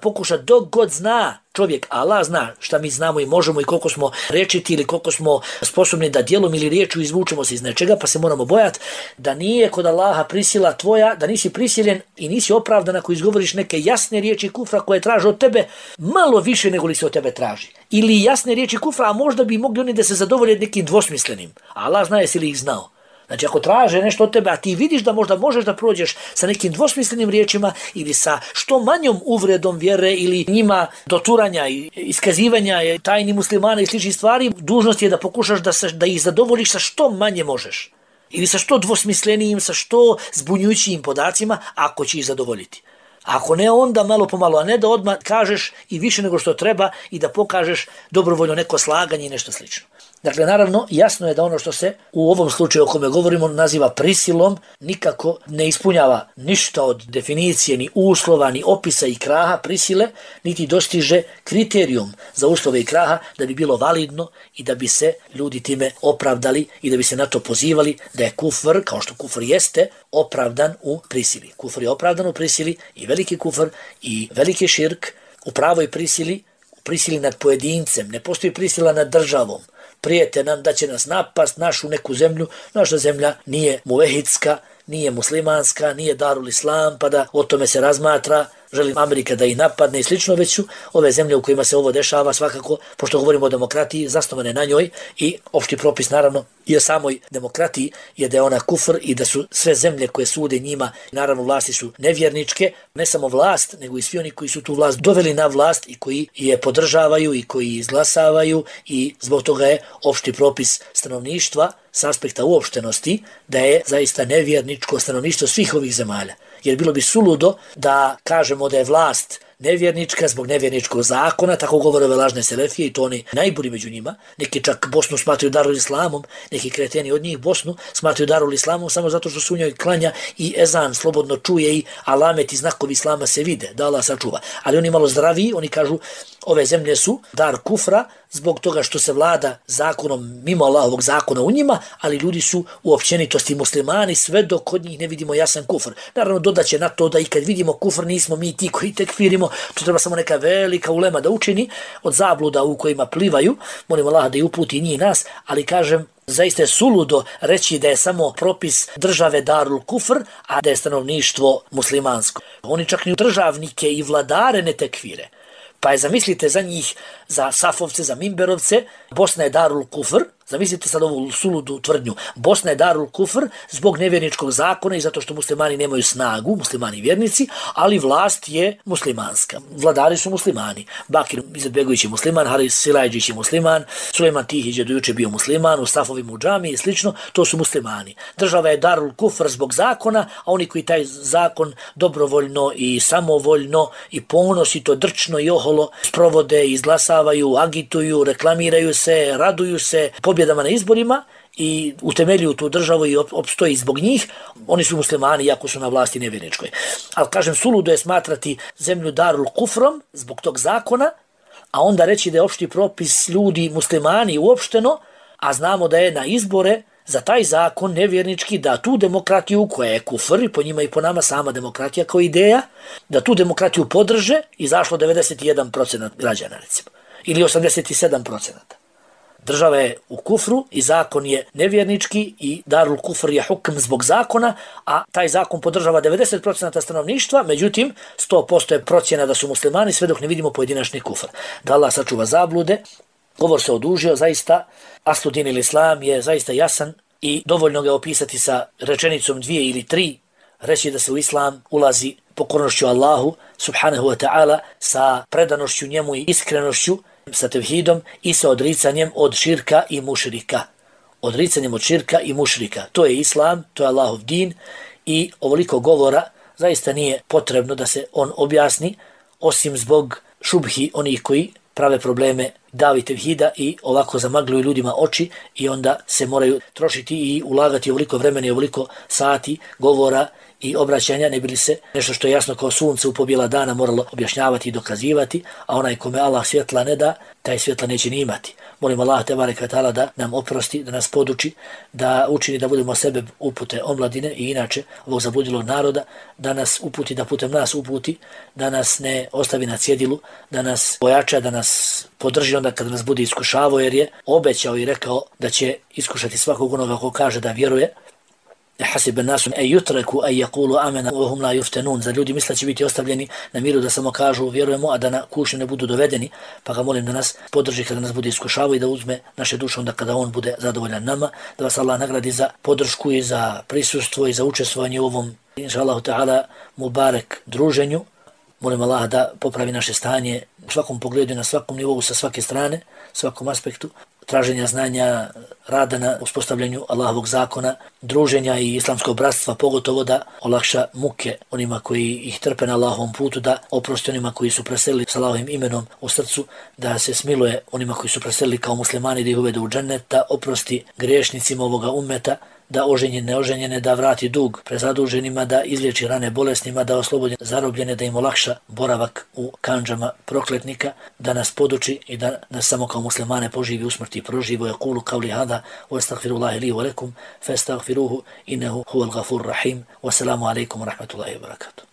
pokuša dok god zna čovjek, Allah zna šta mi znamo i možemo i koliko smo rečiti ili koliko smo sposobni da djelom ili riječu izvučemo se iz nečega, pa se moramo bojati da nije kod Allaha prisila tvoja, da nisi prisiljen i nisi opravdan ako izgovoriš neke jasne riječi kufra koje traže od tebe malo više nego li se od tebe traži. Ili jasne riječi kufra, a možda bi mogli oni da se zadovolje nekim dvosmislenim. A Allah zna jesi li ih znao. Znači ako traže nešto od tebe, a ti vidiš da možda možeš da prođeš sa nekim dvosmislenim riječima ili sa što manjom uvredom vjere ili njima doturanja i iskazivanja tajni muslimana i sličnih stvari, dužnost je da pokušaš da ih zadovoljiš sa što manje možeš. Ili sa što dvosmislenijim, sa što zbunjujućim podacima, ako će ih zadovoljiti. Ako ne, onda malo po malo, a ne da odmah kažeš i više nego što treba i da pokažeš dobrovoljno neko slaganje i nešto slično. Dakle, naravno, jasno je da ono što se u ovom slučaju o kome govorimo naziva prisilom, nikako ne ispunjava ništa od definicije, ni uslova, ni opisa i kraha prisile, niti dostiže kriterijum za uslove i kraha da bi bilo validno i da bi se ljudi time opravdali i da bi se na to pozivali da je kufr, kao što kufr jeste, opravdan u prisili. Kufr je opravdan u prisili i veliki kufr i veliki širk u pravoj prisili, prisili nad pojedincem, ne postoji prisila nad državom. Prijete nam da će nas napast našu neku zemlju, naša zemlja nije muvehidska, nije muslimanska, nije Darul Islam, pa da o tome se razmatra, želi Amerika da ih napadne i slično, već su ove zemlje u kojima se ovo dešava svakako, pošto govorimo o demokratiji, zasnovane na njoj i opšti propis naravno i o samoj demokratiji je da je ona kufr i da su sve zemlje koje sude njima, naravno vlasti su nevjerničke, ne samo vlast, nego i svi oni koji su tu vlast doveli na vlast i koji je podržavaju i koji izglasavaju i zbog toga je opšti propis stanovništva s aspekta uopštenosti da je zaista nevjerničko stanovništvo svih ovih zemalja. Jer bilo bi suludo da kažemo da je vlast nevjernička zbog nevjerničkog zakona, tako govore ove lažne selefije i to oni najbolji među njima. Neki čak Bosnu smatraju Darul Islamom, neki kreteni od njih Bosnu smatraju Darul Islamom samo zato što su u njoj klanja i ezan slobodno čuje i alamet i znakovi Islama se vide, da Allah sačuva. Ali oni malo zdraviji, oni kažu ove zemlje su dar kufra zbog toga što se vlada zakonom mimo Allahovog zakona u njima, ali ljudi su u općenitosti muslimani sve dok kod njih ne vidimo jasan kufr. Naravno dodaće na to da i kad vidimo kufr nismo mi ti koji tekfirimo, to treba samo neka velika ulema da učini od zabluda u kojima plivaju, molim Allah da i uputi njih nas, ali kažem zaista je suludo reći da je samo propis države Darul Kufr, a da je stanovništvo muslimansko. Oni čak ni državnike i vladare ne tekfire. Pa je zamislite za njih, za Safovce, za Mimberovce, Bosna je Darul Kufr, zamislite sad ovu suludu tvrdnju, Bosna je Darul Kufr zbog nevjerničkog zakona i zato što muslimani nemaju snagu, muslimani vjernici, ali vlast je muslimanska. Vladari su muslimani. Bakir Izetbegović je musliman, Haris Silajđić je musliman, Sulejman Tihić je do juče bio musliman, u Safovim u džami i slično, to su muslimani. Država je Darul Kufr zbog zakona, a oni koji taj zakon dobrovoljno i samovoljno i ponosito, drčno i oholo sprovode, izglasavaju, agituju, reklamiraju se, raduju se pobjedama na izborima i utemeljuju tu državu i opstoji zbog njih, oni su muslimani iako su na vlasti nevjerničkoj. Ali kažem, suludo je smatrati zemlju Darul Kufrom zbog tog zakona, a onda reći da je opšti propis ljudi muslimani uopšteno, a znamo da je na izbore za taj zakon nevjernički da tu demokratiju koja je kufr i po njima i po nama sama demokratija kao ideja, da tu demokratiju podrže izašlo 91% građana recimo ili 87%. Država je u kufru i zakon je nevjernički i Darul Kufr je hukm zbog zakona, a taj zakon podržava 90% stanovništva, međutim 100% je procjena da su muslimani sve dok ne vidimo pojedinačni kufr. Da Allah sačuva zablude, govor se odužio, zaista Asludin ili Islam je zaista jasan i dovoljno ga opisati sa rečenicom 2 ili 3, reći da se u Islam ulazi pokornošću Allahu subhanahu wa ta'ala sa predanošću njemu i iskrenošću, sa tevhidom i sa odricanjem od širka i mušrika. Odricanjem od širka i mušrika. To je Islam, to je Allahov din i ovoliko govora zaista nije potrebno da se on objasni osim zbog šubhi onih koji prave probleme davi tevhida i ovako zamagljuju ljudima oči i onda se moraju trošiti i ulagati ovoliko vremena i ovoliko sati govora i obraćanja, ne bili se nešto što je jasno kao sunce u pobjela dana moralo objašnjavati i dokazivati, a onaj kome Allah svjetla ne da, taj svjetla neće ni imati. Molim Allah tebarek ve taala da nam oprosti, da nas poduči, da učini da budemo sebe upute omladine i inače ovog zabludilog naroda, da nas uputi, da putem nas uputi, da nas ne ostavi na cjedilu, da nas pojača, da nas podrži onda kada nas bude iskušavao, jer je obećao i rekao da će iskušati svakog onoga ko kaže da vjeruje. حسب الناس أن يتركوا أن يقولوا آمنا وهم لا يفتنون. Za ljudi misle će biti ostavljeni na miru da samo kažu vjerujemo, a da na kušnju ne budu dovedeni, pa ga molim da nas podrži kada nas bude iskušavao i da uzme naše duše onda kada on bude zadovoljan nama, da vas Allah nagradi za podršku i za prisustvo i za učestvovanje u ovom inšallahu ta'ala mubarek druženju. Molim Allah da popravi naše stanje u svakom pogledu, na svakom nivou, sa svake strane, svakom aspektu, traženja znanja, rada na uspostavljanju Allahovog zakona, druženja i islamskog bratstva, pogotovo da olakša muke onima koji ih trpe na Allahovom putu, da oprosti onima koji su preselili s Allahovim imenom u srcu, da se smiluje onima koji su preselili kao muslimani, da ih uvede u džennet, da oprosti griješnicima ovoga ummeta, da oženjene, neoženjene, da vrati dug prezaduženima, da izliječi rane bolesnima, da oslobodi zarobljene, da im olakša boravak u kandžama prokletnika, da nas poduči i da nas samo kao muslimane poživi u smrti i proživo. Yaqulu qawli hada wa astaghfirullaha li wa lakum fastaghfiruhu innahu huwal ghafurur rahim. Wassalamu alaikum wa rahmatullahi wa barakatuh.